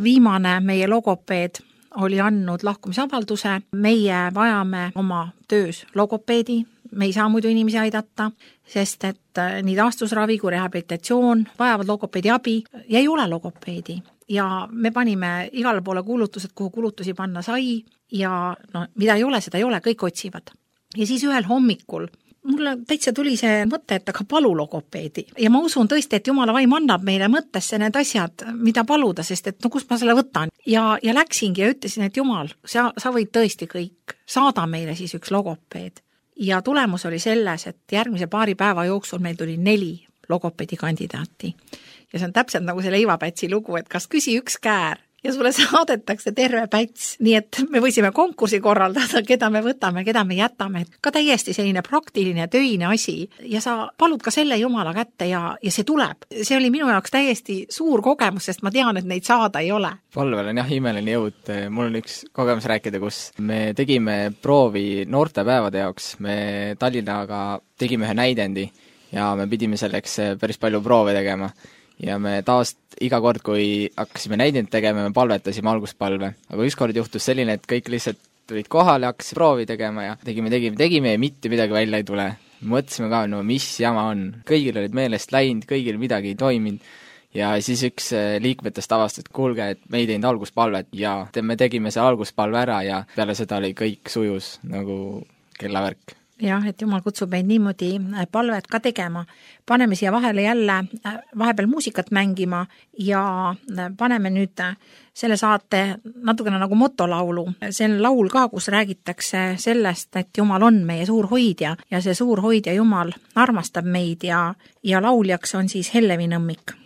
viimane meie logopeed oli andnud lahkumisavalduse. Meie vajame oma töös logopeedi, me ei saa muidu inimesi aidata, sest et nii taastusravi kui rehabilitatsioon vajavad logopeedi abi ja ei ole logopeedi. Ja me panime igale poole kuulutused, kuhu kulutusi panna sai ja mida ei ole, seda ei ole, kõik otsivad. Ja siis ühel hommikul mulle täitsa tuli see mõte, et aga palu logopeedi. Ja ma usun tõesti, et Jumala vaim annab meile mõttesse need asjad, mida paluda, sest et no kust ma selle võtan. Ja läksingi ja ütlesin, et Jumal, sa võid tõesti kõik. Saada meile siis üks logopeed. Ja tulemus oli selles, et järgmise paari päeva jooksul meil tuli 4 logopeedi kandidaati. Ja see on täpselt nagu see leivapätsi lugu, et kas küsi üks käär ja sulle saadetakse terve päts, nii et me võisime konkursi korraldada, keda me võtame, keda me jätame. Ka täiesti selline praktiline töine asi ja sa palud ka selle Jumala kätte ja see tuleb. See oli minu jaoks täiesti suur kogemus, sest ma tean, et neid saada ei ole. Palvel on jah imeline jõud. Mul on üks kogemus rääkida, kus me tegime proovi noortepäevade jaoks. Me Tallinnaga tegime ühe näidendi ja me pidime selleks päris palju proove tegema. Ja me taas iga kord, kui hakkasime näidend tegema, me palvetasime alguspalve. Aga ükskord juhtus selline, et kõik lihtsalt tulid kohale, hakkasid proovi tegema ja tegime ja mitte midagi välja ei tule. Mõtlesime ka, no mis jama on. Kõigil olid meelest läinud, kõigil midagi ei toiminud. Ja siis üks liikmetest avastas, et kuulge, et me ei teinud alguspalvet ja me tegime see alguspalve ära ja peale seda oli kõik sujus nagu kellavärk. Jah, et Jumal kutsub meid niimoodi palvet ka tegema. Paneme siia vahele jälle vahepeal muusikat mängima ja paneme nüüd selle saate natukene nagu motolaulu. See on laul ka, kus räägitakse sellest, et Jumal on meie suur hoidja ja see suur hoidja Jumal armastab meid ja lauljaks on siis Hellevi Nõmmik.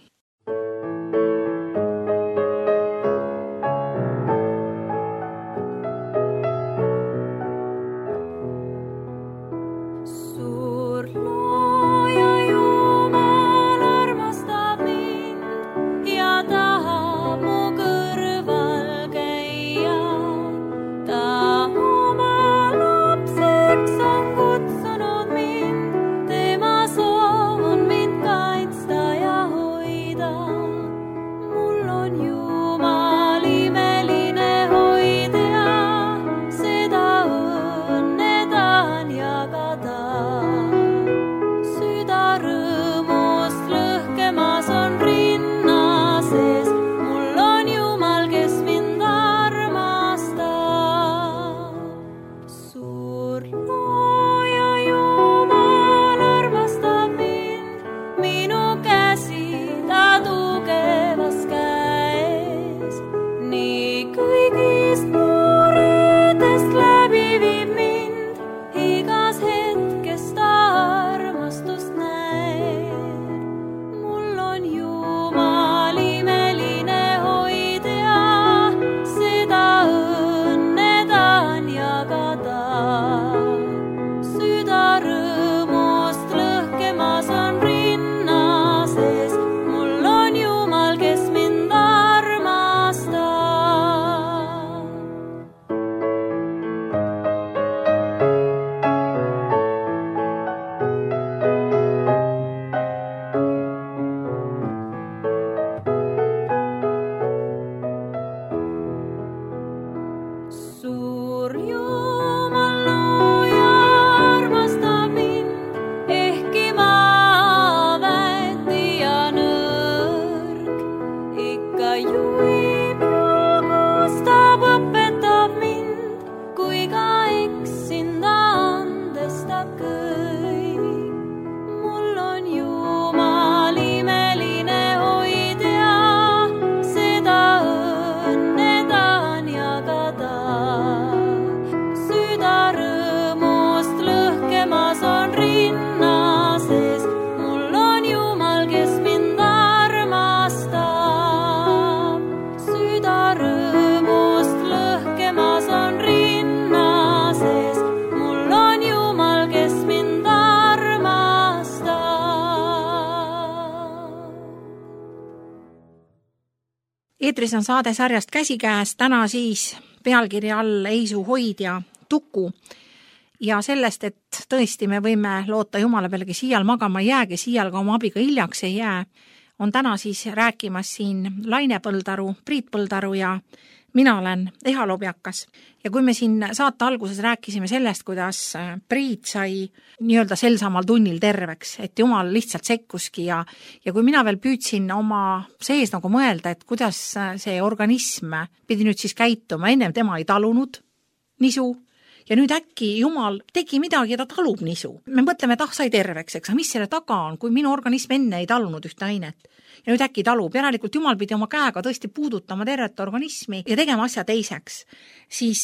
Eetris on saade sarjast Käsikäes, täna siis pealkirja all Eisu hoidja Tuku ja sellest, et tõesti me võime loota Jumala peale, kes iial magama ei jää, kes iial ka oma abiga hiljaks ei jää, on täna siis rääkimas siin Laine Põldaru, Priit Põldaru ja mina olen Eha Lobjakas. Ja kui me siin saate alguses rääkisime sellest, kuidas Priit sai nii-öelda sel samal tunnil terveks, et Jumal lihtsalt sekkuski ja kui mina veel püüdsin oma sees nagu mõelda, et kuidas see organism pidi nüüd siis käituma, ennem tema ei talunud nisu ja nüüd äkki Jumal tegi midagi ja ta talub nisu. Me mõtleme, et sai terveks, eks, mis selle taga on, kui minu organism enne ei talunud ühte ainet. Ja nüüd äkki talub, järelikult Jumal pidi oma käega tõesti puudutama tervet organismi ja tegema asja teiseks. Siis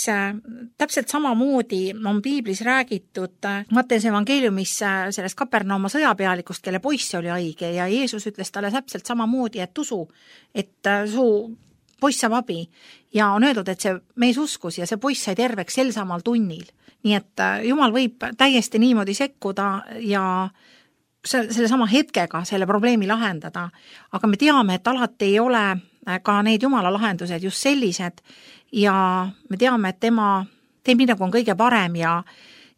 täpselt samamoodi on piiblis räägitud Matteuse evangeeliumis sellest Kapernauma sõjapealikust, kelle poiss oli haige ja Jeesus ütles talle täpselt samamoodi, et usu, et su poiss saab abi ja on öeldud, et see mees uskus ja see poiss sai terveks sel samal tunnil. Nii et Jumal võib täiesti niimoodi sekkuda ja selle sama hetkega selle probleemi lahendada, aga me teame, et alati ei ole ka need Jumala lahendused just sellised ja me teame, et tema teeb nii, nagu on kõige parem ja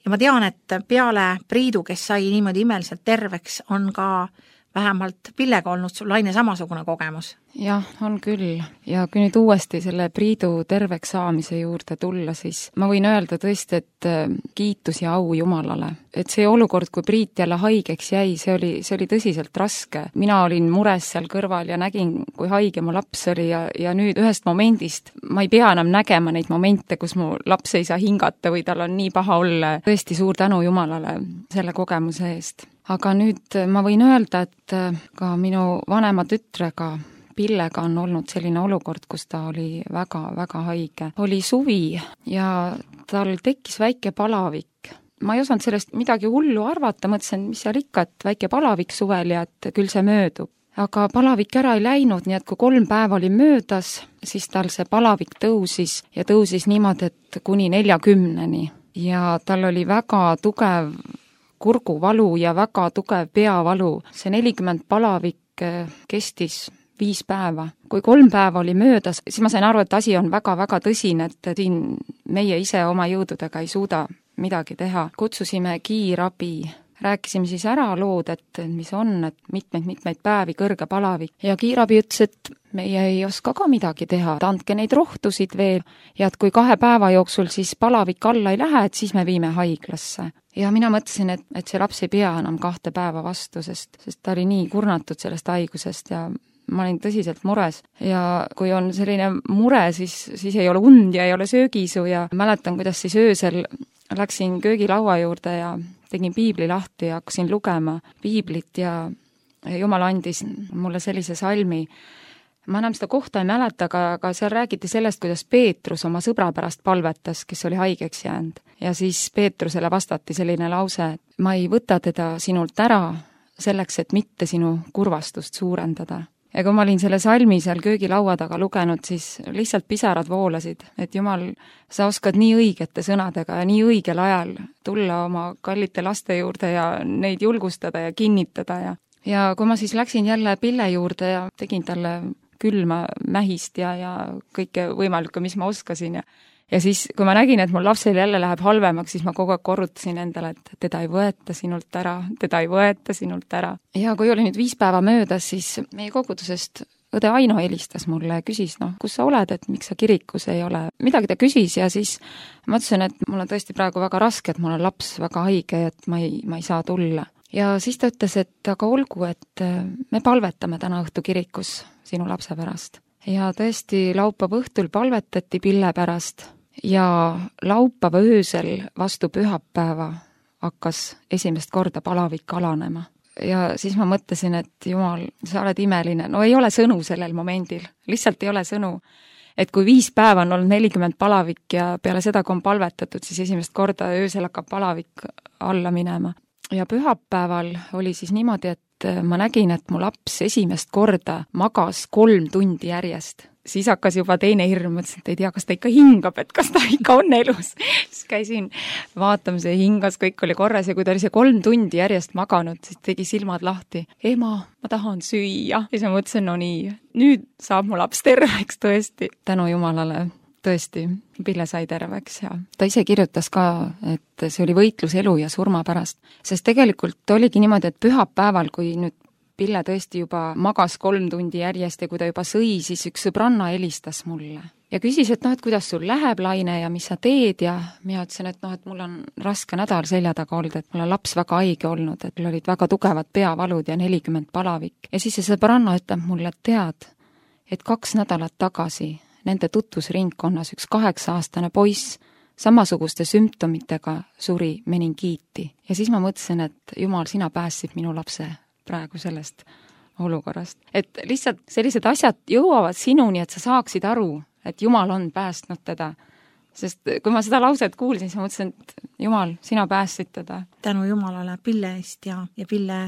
ma tean, et peale Priidu, kes sai niimoodi imeliselt terveks, on ka vähemalt Pillega olnud sul, Laine, samasugune kogemus? Jah, on küll. Ja kui nüüd uuesti selle Priidu terveks saamise juurde tulla, siis ma võin öelda tõesti, et kiitus ja au Jumalale. Et see olukord, kui Priit jälle haigeks jäi, see oli tõsiselt raske. Mina olin mures seal kõrval ja nägin, kui haige mu laps oli ja nüüd ühest momendist ma ei pea enam nägema neid momente, kus mu laps ei saa hingata või tal on nii paha olla. Tõesti suur tänu Jumalale selle kogemuse eest. Aga nüüd ma võin öelda, et ka minu vanema tütrega Pillega on olnud selline olukord, kus ta oli väga-väga haige. Oli suvi ja tal tekkis väike palavik. Ma ei osanud sellest midagi hullu arvata, mõtlesin, mis seal ikka, et väike palavik suvel ja et küll see möödub. Aga palavik ära ei läinud, nii et kui 3 päeva oli möödas, siis tal see palavik tõusis ja tõusis niimoodi, et kuni 40-ni. Ja tal oli väga tugev kurguvalu ja väga tugev peavalu. See 40 palavik kestis 5 päeva. Kui 3 päeva oli möödas, siis ma sain aru, et asi on väga-väga tõsine, et siin meie ise oma jõududega ei suuda midagi teha. Kutsusime kiirabi, rääkisime siis ära lood, et mis on, et mitmeid päevi kõrge palavik. Ja kiirabi ütles, et meie ei oska ka midagi teha, andke neid rohtusid veel ja et kui 2 päeva jooksul siis palavik alla ei lähe, et siis me viime haiglasse. Ja mina mõtlesin, et see laps ei pea enam 2 päeva vastu, sest ta oli nii kurnatud sellest haigusest ja ma olin tõsiselt mures ja kui on selline mure, siis ei ole und ja ei ole söögisu ja mäletan, kuidas siis öösel läksin köögilaua juurde ja tegin piibli lahti ja hakkasin lugema piiblit ja Jumal andis mulle sellise salmi. Ma enam seda kohta ei mäleta, aga seal räägiti sellest, kuidas Peetrus oma sõbra pärast palvetas, kes oli haigeks jäänud. Ja siis Peetrusele vastati selline lause, et ma ei võta teda sinult ära selleks, et mitte sinu kurvastust suurendada. Ja kui ma olin selle salmi seal köögilaua taga lugenud, siis lihtsalt pisarad voolasid, et Jumal, sa oskad nii õigete sõnadega ja nii õigel ajal tulla oma kallite laste juurde ja neid julgustada ja kinnitada. Ja kui ma siis läksin jälle Pille juurde ja tegin talle külma mähist ja kõike võimalikku, mis ma oskasin ja siis, kui ma nägin, et mul lapsel jälle läheb halvemaks, siis ma kogu aeg korrutasin endale, et teda ei võeta sinult ära, teda ei võeta sinult ära. Ja kui oli nüüd 5 päeva möödas, siis meie kogudusest õde Aino helistas mulle ja küsis, kus sa oled, et miks sa kirikus ei ole. Midagi ta küsis ja siis ma ütlesin, et mul on tõesti praegu väga raske, et mul on laps väga haige, et ma ei saa tulla. Ja siis ta ütles, et aga olgu, et me palvetame täna õhtu kirikus sinu lapse pärast. Ja tõesti laupäeva õhtul palvetati Pille pärast ja laupäeva öösel vastu pühapäeva hakkas esimest korda palavik alanema. Ja siis ma mõtlesin, et Jumal, sa oled imeline. No ei ole sõnu sellel momendil, lihtsalt ei ole sõnu. Et kui 5 päeva on olnud 40 palavik ja peale seda, kui on palvetatud, siis esimest korda öösel hakkab palavik alla minema. Ja pühapäeval oli siis niimoodi, et ma nägin, et mu laps esimest korda magas 3 tundi järjest. Siis hakkas juba teine hirm, mõtlesin, et ei tea, kas ta ikka hingab, et kas ta ikka on elus. Siis käisin vaatamas ja hingas, kõik oli korras ja kui ta oli see 3 tundi järjest maganud, siis tegi silmad lahti. Ema, ma tahan süüa. Ja siis ma mõtlesin, no nii, nüüd saab mu laps terveks tõesti. Tänu Jumalale, tõesti, Pille sai terveks ja ta ise kirjutas ka, et see oli võitlus elu ja surma pärast. Sest tegelikult oligi niimoodi, et pühapäeval, kui nüüd Pille tõesti juba magas 3 tundi järjest ja kui ta juba sõi, siis üks sõbranna helistas mulle. Ja küsis, et et kuidas sul läheb, Laine, ja mis sa teed ja mina ütlesin, et mul on raske nädal selja taga olnud, et mul on laps väga haige olnud, et mul olid väga tugevad peavalud ja 40 palavik. Ja siis see sõbranna ütleb mulle, et tead, et 2 nädalat tagasi nende tutvusringkonnas üks 8-aastane poiss samasuguste sümptomitega suri meningiiti. Ja siis ma mõtlesin, et Jumal, sina päästsid minu lapse praegu sellest olukorrast. Et lihtsalt sellised asjad jõuavad sinuni, et sa saaksid aru, et Jumal on päästnud teda. Sest kui ma seda lauset kuulsin, siis ma mõtlesin, et Jumal, sina päästsid teda. Tänu Jumalale Pille eest ja Pille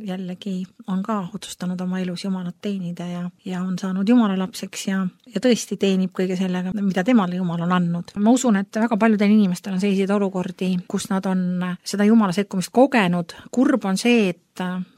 jällegi on ka otsustanud oma elus Jumalat teenida ja on saanud Jumala lapseks ja tõesti teenib kõige sellega, mida temale Jumal on andnud. Ma usun, et väga paljudel inimestel on selliseid olukordi, kus nad on seda Jumala sekkumist kogenud. Kurb on see, et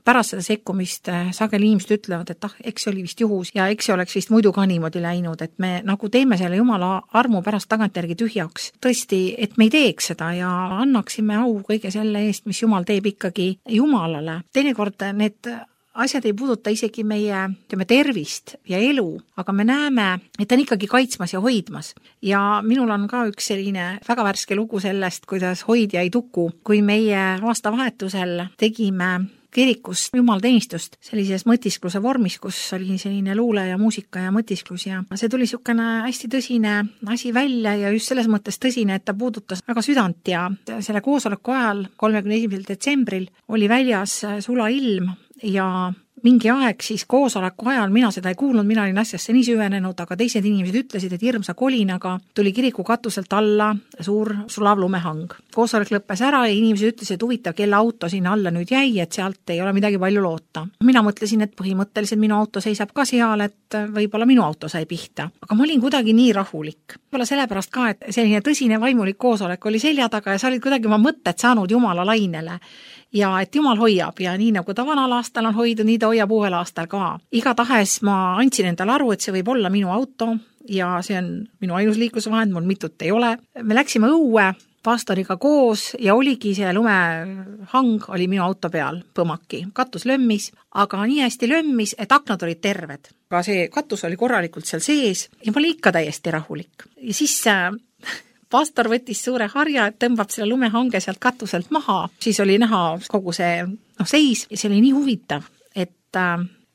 pärast seda sekkumist sageli inimesed ütlevad, et eks see oli vist juhus ja eks see oleks vist muidu ka niimoodi läinud, et me nagu teeme selle Jumala armu pärast tagantjärgi tühjaks. Tõesti, et me ei teeks seda ja annaksime au kõige selle eest, mis Jumal teeb ikkagi Jumalale. Teinekord need asjad ei puuduta isegi meie tervist ja elu, aga me näeme, et ta on ikkagi kaitsmas ja hoidmas. Ja minul on ka üks selline väga värske lugu sellest, kuidas hoidja ei tuku, kui meie aastavahetusel tegime kirikus jumalateenistust sellises mõtiskluse vormis, kus oli selline luule ja muusika ja mõtisklus ja see tuli niisugune hästi tõsine asi välja ja just selles mõttes tõsine, et ta puudutas väga südant ja selle koosoleku ajal 31. detsembril oli väljas sulailm ja mingi aeg siis koosoleku ajal, mina seda ei kuulnud, mina olin asjasse nii süvenenud, aga teised inimesed ütlesid, et hirmsa kolinaga tuli kiriku katuselt alla suur sulav lumehang. Koosolek lõppes ära ja inimesed ütlesid, et huvitav, kelle auto sinna alla nüüd jäi, et sealt ei ole midagi palju loota. Mina mõtlesin, et põhimõtteliselt minu auto seisab ka seal, et võib-olla minu auto sai pihta. Aga ma olin kuidagi nii rahulik. Võib-olla sellepärast ka, et selline tõsine vaimulik koosolek oli selja taga ja sa olid kuidagi oma mõtted saanud Jumala lainele. Ja et Jumal hoiab ja nii nagu ta vanal aastal on hoidnud, nii ta hoiab uuel aastal ka. Igatahes ma andsin endale aru, et see võib olla minu auto ja see on minu ainus liiklusvahend, mul mitut ei ole. Me läksime õue pastoriga koos ja oligi see lumehang oli minu auto peal, põmaki. Katus lömmis, aga nii hästi lömmis, et aknad olid terved. Aga see katus oli korralikult seal sees ja ma olin ikka täiesti rahulik. Ja siis pastor võttis suure harja, et tõmbab selle lumehange sealt katuselt maha. Siis oli näha kogu see seis ja see oli nii huvitav, et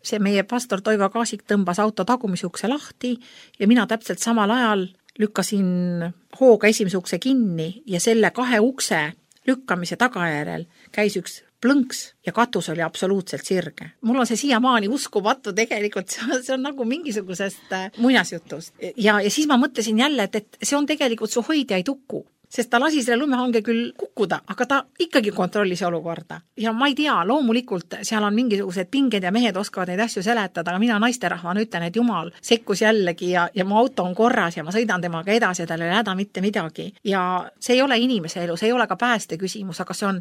see meie pastor Toivo Kaasik tõmbas auto tagumisukse lahti ja mina täpselt samal ajal lükkasin hooga esimese ukse kinni ja selle 2 ukse lükkamise tagajärjel käis üks plõnks ja katus oli absoluutselt sirge. Mul on see siiamaani uskumatu tegelikult, see on nagu mingisugusest muinasjutust. Ja siis ma mõtlesin jälle, et see on tegelikult su hoidja ei tuku, sest ta lasi selle lumehange küll kukkuda, aga ta ikkagi kontrollis olukorda. Ja ma ei tea, loomulikult seal on mingisugused pinged ja mehed oskavad neid asju seletada, aga mina naisterahvana ütlen, et Jumal sekkus jällegi ja mu auto on korras ja ma sõidan temaga edasi ja tal ei häda mitte midagi. Ja see ei ole inimese elu, see ei ole ka pääste küsimus, aga see on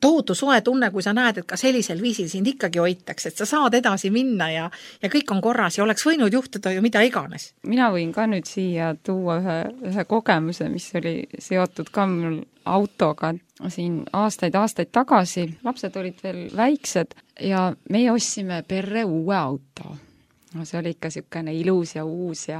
tohutu soe tunne, kui sa näed, et ka sellisel viisil sind ikkagi hoitakse, et sa saad edasi minna ja kõik on korras ja oleks võinud juhtuda ju mida iganes. Mina võin ka nüüd siia tuua ühe kogemuse, mis oli seotud ka mul autoga siin aastaid tagasi. Lapsed olid veel väiksed ja meie ostsime perre uue auto. No see oli ikka niisugune ilus ja uus ja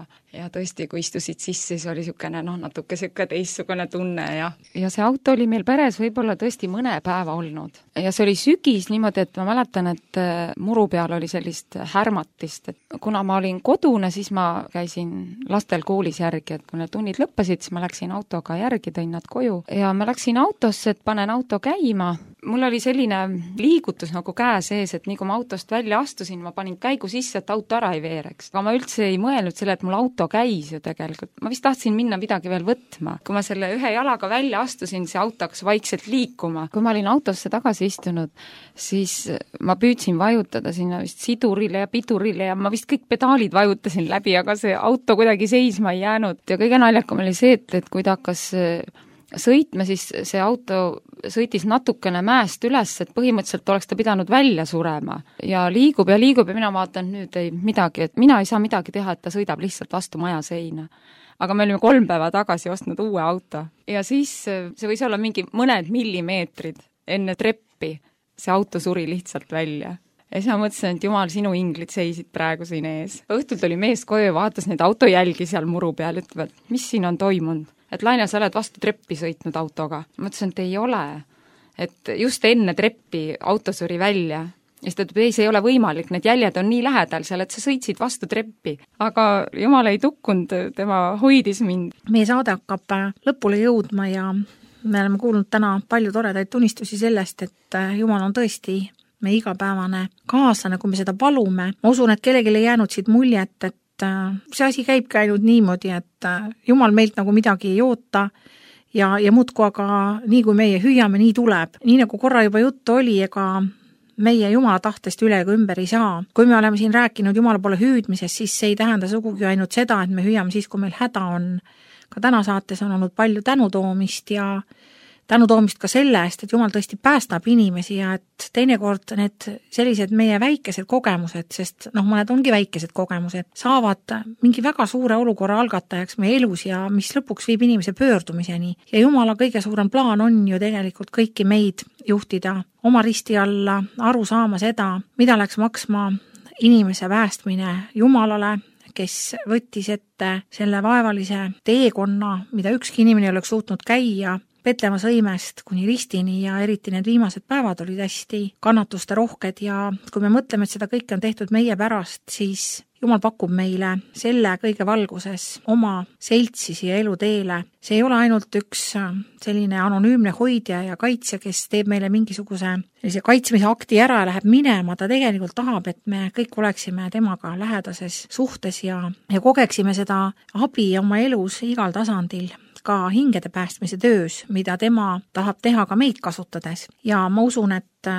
tõesti, kui istusid sisse, siis oli niisugune natuke niisugune teistsugune tunne ja see auto oli meil peres võib-olla tõesti mõne päeva olnud. Ja see oli sügis niimoodi, et ma mäletan, et muru peal oli sellist härmatist, et kuna ma olin kodune, siis ma käisin lastel koolis järgi, et kui need tunnid lõppesid, siis ma läksin autoga järgi, tõin nad koju ja ma läksin autosse, et panen auto käima. Mul oli selline liigutus nagu käe sees, et nii kui ma autost välja astusin, ma panin käigu sisse, et auto ära ei veereks. Aga ma üldse ei mõelnud selle, et mul auto käis ju tegelikult. Ma vist tahtsin minna midagi veel võtma. Kui ma selle ühe jalaga välja astusin, see auto hakkas vaikselt liikuma. Kui ma olin autosse tagasi istunud, siis ma püüdsin vajutada sinna vist sidurile ja pidurile ja ma vist kõik pedaalid vajutasin läbi, aga see auto kuidagi seisma ei jäänud. Ja kõige naljakam oli see, et kui ta hakkas sõitma, siis see auto sõitis natukene mäest üles, et põhimõtteliselt oleks ta pidanud välja surema. Ja liigub ja mina vaatan nüüd ei midagi, et mina ei saa midagi teha, et ta sõidab lihtsalt vastu maja seina. Aga me olime 3 päeva tagasi ostnud uue auto. Ja siis see võis olla mingi mõned millimeetrid enne treppi. See auto suri lihtsalt välja. Ja siis ma mõtlesin, et Jumal, sinu inglid seisid praegu siin ees. Õhtul tuli mees koju ja vaatas neid autojälgi seal muru peal, ütlevad, mis siin on toimunud? Et Laine, sa oled vastu treppi sõitnud autoga. Ma mõtlesin, et ei ole. Et just enne treppi auto suri välja. ja siis ta ütleb, ei, see ei ole võimalik, need jäljed on nii lähedal seal, et sa sõitsid vastu treppi. aga Jumal ei tukkunud, tema hoidis mind. Meie saade hakkab lõpule jõudma ja me oleme kuulnud täna palju toredaid tunnistusi sellest, et Jumal on tõesti meie igapäevane kaaslane, kui me seda palume. Ma usun, et kellelgi ei jäänud siit muljet, et see asi käibki ainult niimoodi, et Jumal meilt nagu midagi ei oota ja muudku, aga nii kui meie hüüame, nii tuleb. Nii nagu korra juba juttu oli, ega meie Jumala tahtest üle ega ümber ei saa. Kui me oleme siin rääkinud Jumala poole hüüdmisest, siis see ei tähenda sugugi ainult seda, et me hüüame siis, kui meil häda on. Ka täna saates on olnud palju tänutoomist ja tänutoomist ka selle eest, et Jumal tõesti päästab inimesi ja et teinekord need sellised meie väikesed kogemused, sest mõned ongi väikesed kogemused, saavad mingi väga suure olukorra algatajaks meie elus ja mis lõpuks viib inimese pöördumiseni. Ja Jumala kõige suurem plaan on ju tegelikult kõiki meid juhtida oma risti alla, aru saama seda, mida läks maksma inimese päästmine Jumalale, kes võttis ette selle vaevalise teekonna, mida ükski inimene ei oleks suutnud käia, Petlemma sõimest kuni ristini ja eriti need viimased päevad olid hästi kannatuste rohked ja kui me mõtleme, et seda kõike on tehtud meie pärast, siis Jumal pakub meile selle kõige valguses oma seltsi siia eluteele. See ei ole ainult üks selline anonüümne hoidja ja kaitsja, kes teeb meile mingisuguse kaitsmise akti ära ja läheb minema. Ta tegelikult tahab, et me kõik oleksime temaga lähedases suhtes ja kogeksime seda abi oma elus igal tasandil, ka hingede päästmise töös, mida tema tahab teha ka meid kasutades. Ja ma usun, et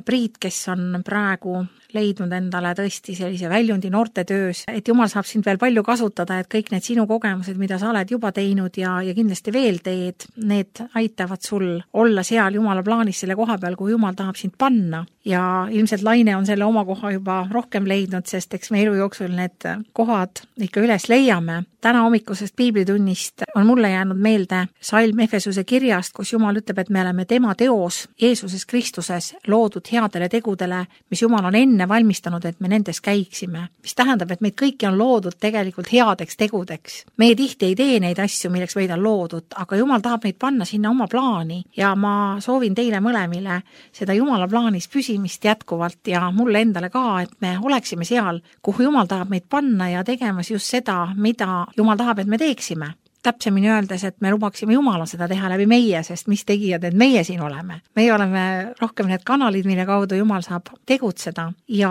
Priit, kes on praegu leidnud endale tõesti sellise väljundi noorte töös, et Jumal saab sind veel palju kasutada, et kõik need sinu kogemused, mida sa oled juba teinud ja kindlasti veel teed, need aitavad sul olla seal Jumala plaanis selle koha peal, kui Jumal tahab sind panna. Ja ilmselt Laine on selle oma koha juba rohkem leidnud, sest eks me elu jooksul need kohad ikka üles leiame. Täna hommikusest piiblitunnist on mulle jäänud meelde salm Efesuse kirjast, kus Jumal ütleb, et me oleme tema teos Jeesuses Kristuses loodud headele tegudele, mis Jumal on enne valmistanud, et me nendes käiksime. Mis tähendab, et meid kõiki on loodud tegelikult headeks tegudeks. Meie tihti ei tee neid asju, milleks meid on loodud, aga Jumal tahab meid panna sinna oma plaani ja ma soovin teile mõlemile seda Jumala plaanis püsimist jätkuvalt ja mulle endale ka, et me oleksime seal, kuhu Jumal tahab meid panna ja tegemas just seda, mida Jumal tahab, et me teeksime. Täpsemini öeldes, et me lubaksime Jumala seda teha läbi meie, sest mis tegijad, et meie siin oleme. Meie oleme rohkem need kanalid, mille kaudu Jumal saab tegutseda ja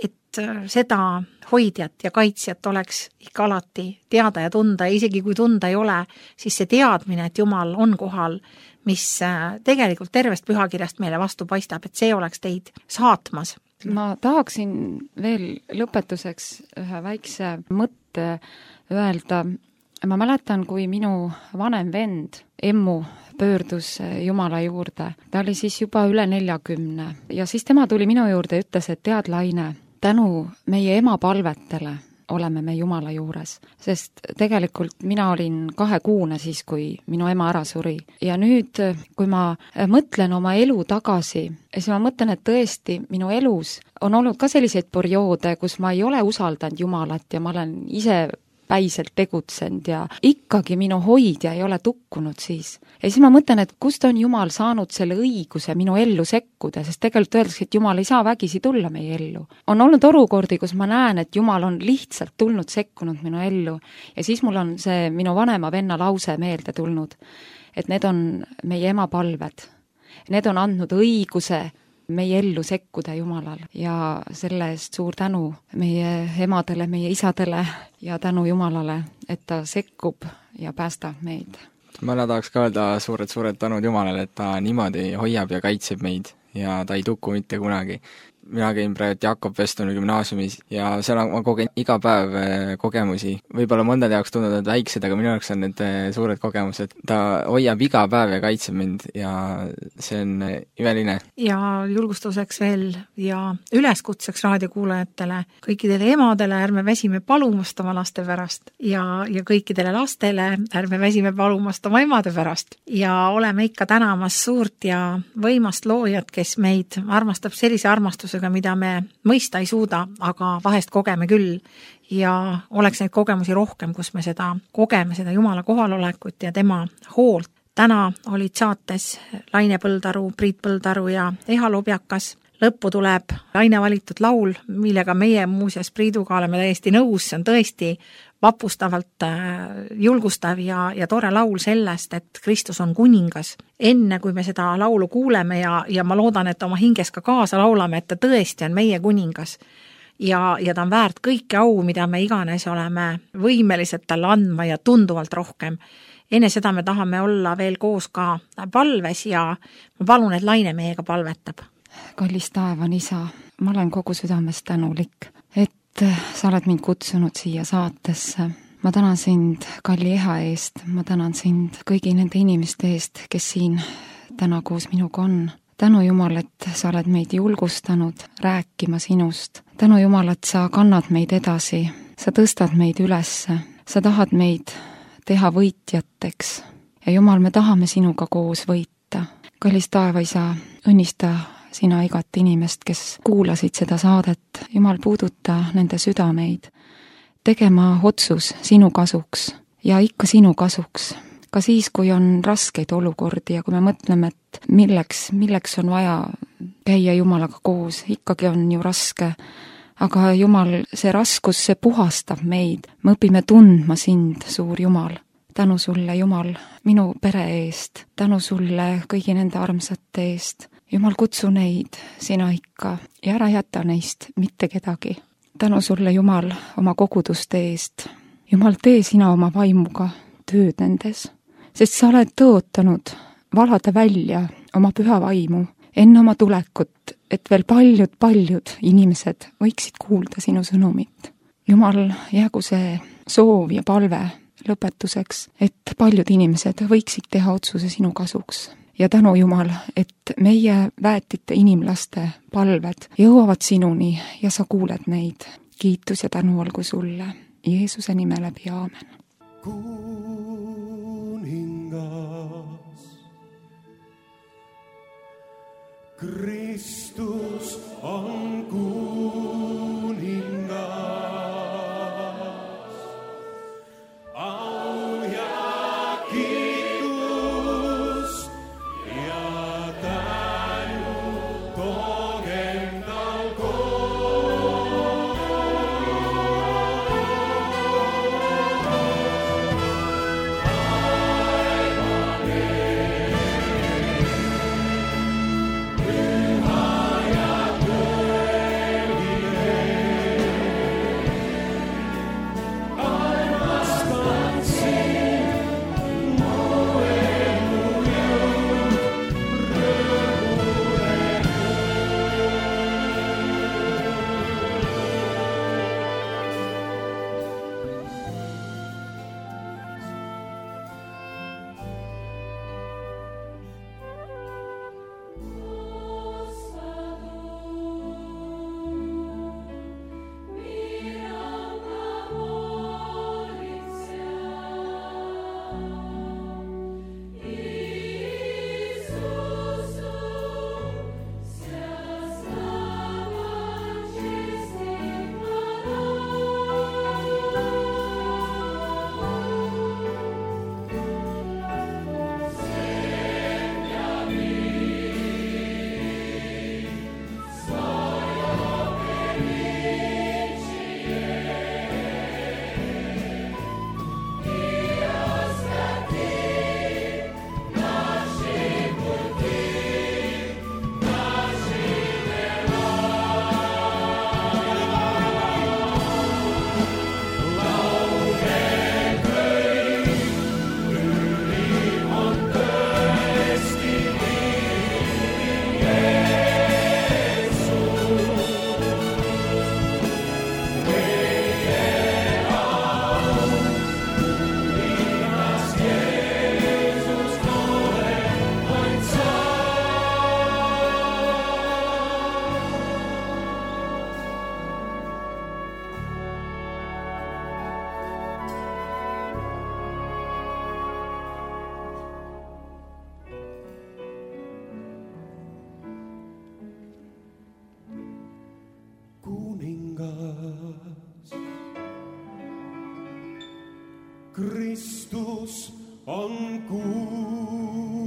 et seda hoidjat ja kaitsjat oleks ikka alati teada ja tunda ja isegi kui tunda ei ole, siis see teadmine, et Jumal on kohal, mis tegelikult tervest pühakirjast meile vastu paistab, et see oleks teid saatmas. Ma tahaksin veel lõpetuseks ühe väikse mõtte öelda. Ma mäletan, kui minu vanem vend, Emmu, pöördus Jumala juurde. Ta oli siis juba üle 40 ja siis tema tuli minu juurde ja ütles, et tead, Laine, tänu meie ema palvetele oleme me Jumala juures, sest tegelikult mina olin 2-kuune siis, kui minu ema ära suri. Ja nüüd, kui ma mõtlen oma elu tagasi, siis ma mõtlen, et tõesti minu elus on olnud ka selliseid perioode, kus ma ei ole usaldanud Jumalat ja ma olen ise päiselt tegutsenud ja ikkagi minu hoidja ei ole tukkunud siis. Ja siis ma mõtlen, et kust on Jumal saanud selle õiguse minu ellu sekkuda, sest tegelikult öeldakse, et Jumal ei saa vägisi tulla meie ellu. On olnud olukordi, kus ma näen, et Jumal on lihtsalt tulnud sekkunud minu ellu ja siis mul on see minu vanema venna lause meelde tulnud, et need on meie ema palved. Need on andnud õiguse meie ellu sekkuda Jumalal ja selle eest suur tänu meie emadele, meie isadele ja tänu Jumalale, et ta sekkub ja päästab meid. Ma tahaks ka öelda suured tänud Jumalale, et ta niimoodi hoiab ja kaitseb meid ja ta ei tuku mitte kunagi. Mina käin praegu Jakob Vestoni gümnaasiumis ja seal ma kogen iga päev kogemusi. Võib-olla mõndade jaoks tunduvad väiksed, aga minu jaoks on need suured kogemused. Ta hoiab iga päev ja kaitseb mind ja see on imeline. Ja julgustuseks veel ja üleskutseks raadiokuulajatele, kõikidele emadele ärme väsime palumast oma laste pärast ja kõikidele lastele ärme väsime palumast oma emade pärast. Ja oleme ikka tänamas suurt ja võimast loojat, kes meid armastab sellise armastusega, mida me mõista ei suuda, aga vahest kogeme küll ja oleks neid kogemusi rohkem, kus me seda kogeme, seda Jumala kohalolekut ja tema hoolt. Täna olid saates Laine Põldaru, Priit Põldaru ja Eha Lobjakas. lõppu tuleb Laine valitud laul, millega meie muuseas Priiduga oleme täiesti nõus, see on tõesti vapustavalt julgustav ja tore laul sellest, et Kristus on kuningas. Enne kui me seda laulu kuuleme ja ma loodan, et oma hinges ka kaasa laulame, et ta tõesti on meie kuningas ja ta on väärt kõike au, mida me iganes oleme võimelised talle andma ja tunduvalt rohkem. Enne seda me tahame olla veel koos ka palves ja ma palun, et Laine meiega palvetab. Kallis taevan isa, ma olen kogu südamest tänulik, et sa oled mind kutsunud siia saatesse. Ma tänan sind kalli eha eest, ma tänan sind kõigi nende inimeste eest, kes siin täna koos minuga on. Tänu Jumal, et sa oled meid julgustanud rääkima sinust. Tänu Jumal, et sa kannad meid edasi, sa tõstad meid ülesse, sa tahad meid teha võitjateks. Ja Jumal, me tahame sinuga koos võita. Kallis taevaisa, õnnista sina igat inimest, kes kuulasid seda saadet. Jumal, puuduta nende südameid, tegema otsus sinu kasuks ja ikka sinu kasuks. Ka siis, kui on raskeid olukordi ja kui me mõtleme, et milleks on vaja käia Jumalaga koos, ikkagi on ju raske. Aga Jumal, see raskus, see puhastab meid. Me õpime tundma sind, suur Jumal. Tänu sulle, Jumal, minu pere eest. Tänu sulle kõigi nende armsate eest. Jumal, kutsu neid sina ikka ja ära jäta neist mitte kedagi. Tänu sulle, Jumal, oma koguduste eest. Jumal, tee sina oma vaimuga tööd nendes, sest sa oled tõotanud valada välja oma püha vaimu enne oma tulekut, et veel paljud inimesed võiksid kuulda sinu sõnumit. Jumal, jäägu see soov ja palve lõpetuseks, et paljud inimesed võiksid teha otsuse sinu kasuks. Ja tänu Jumal, et meie väetite inimlaste palved jõuavad sinuni ja sa kuuled neid. Kiitus ja tänu olgu sulle. Jeesuse nime läbi, aamen. Kuningas, Kristus on kuningas. Kristus on kuningas.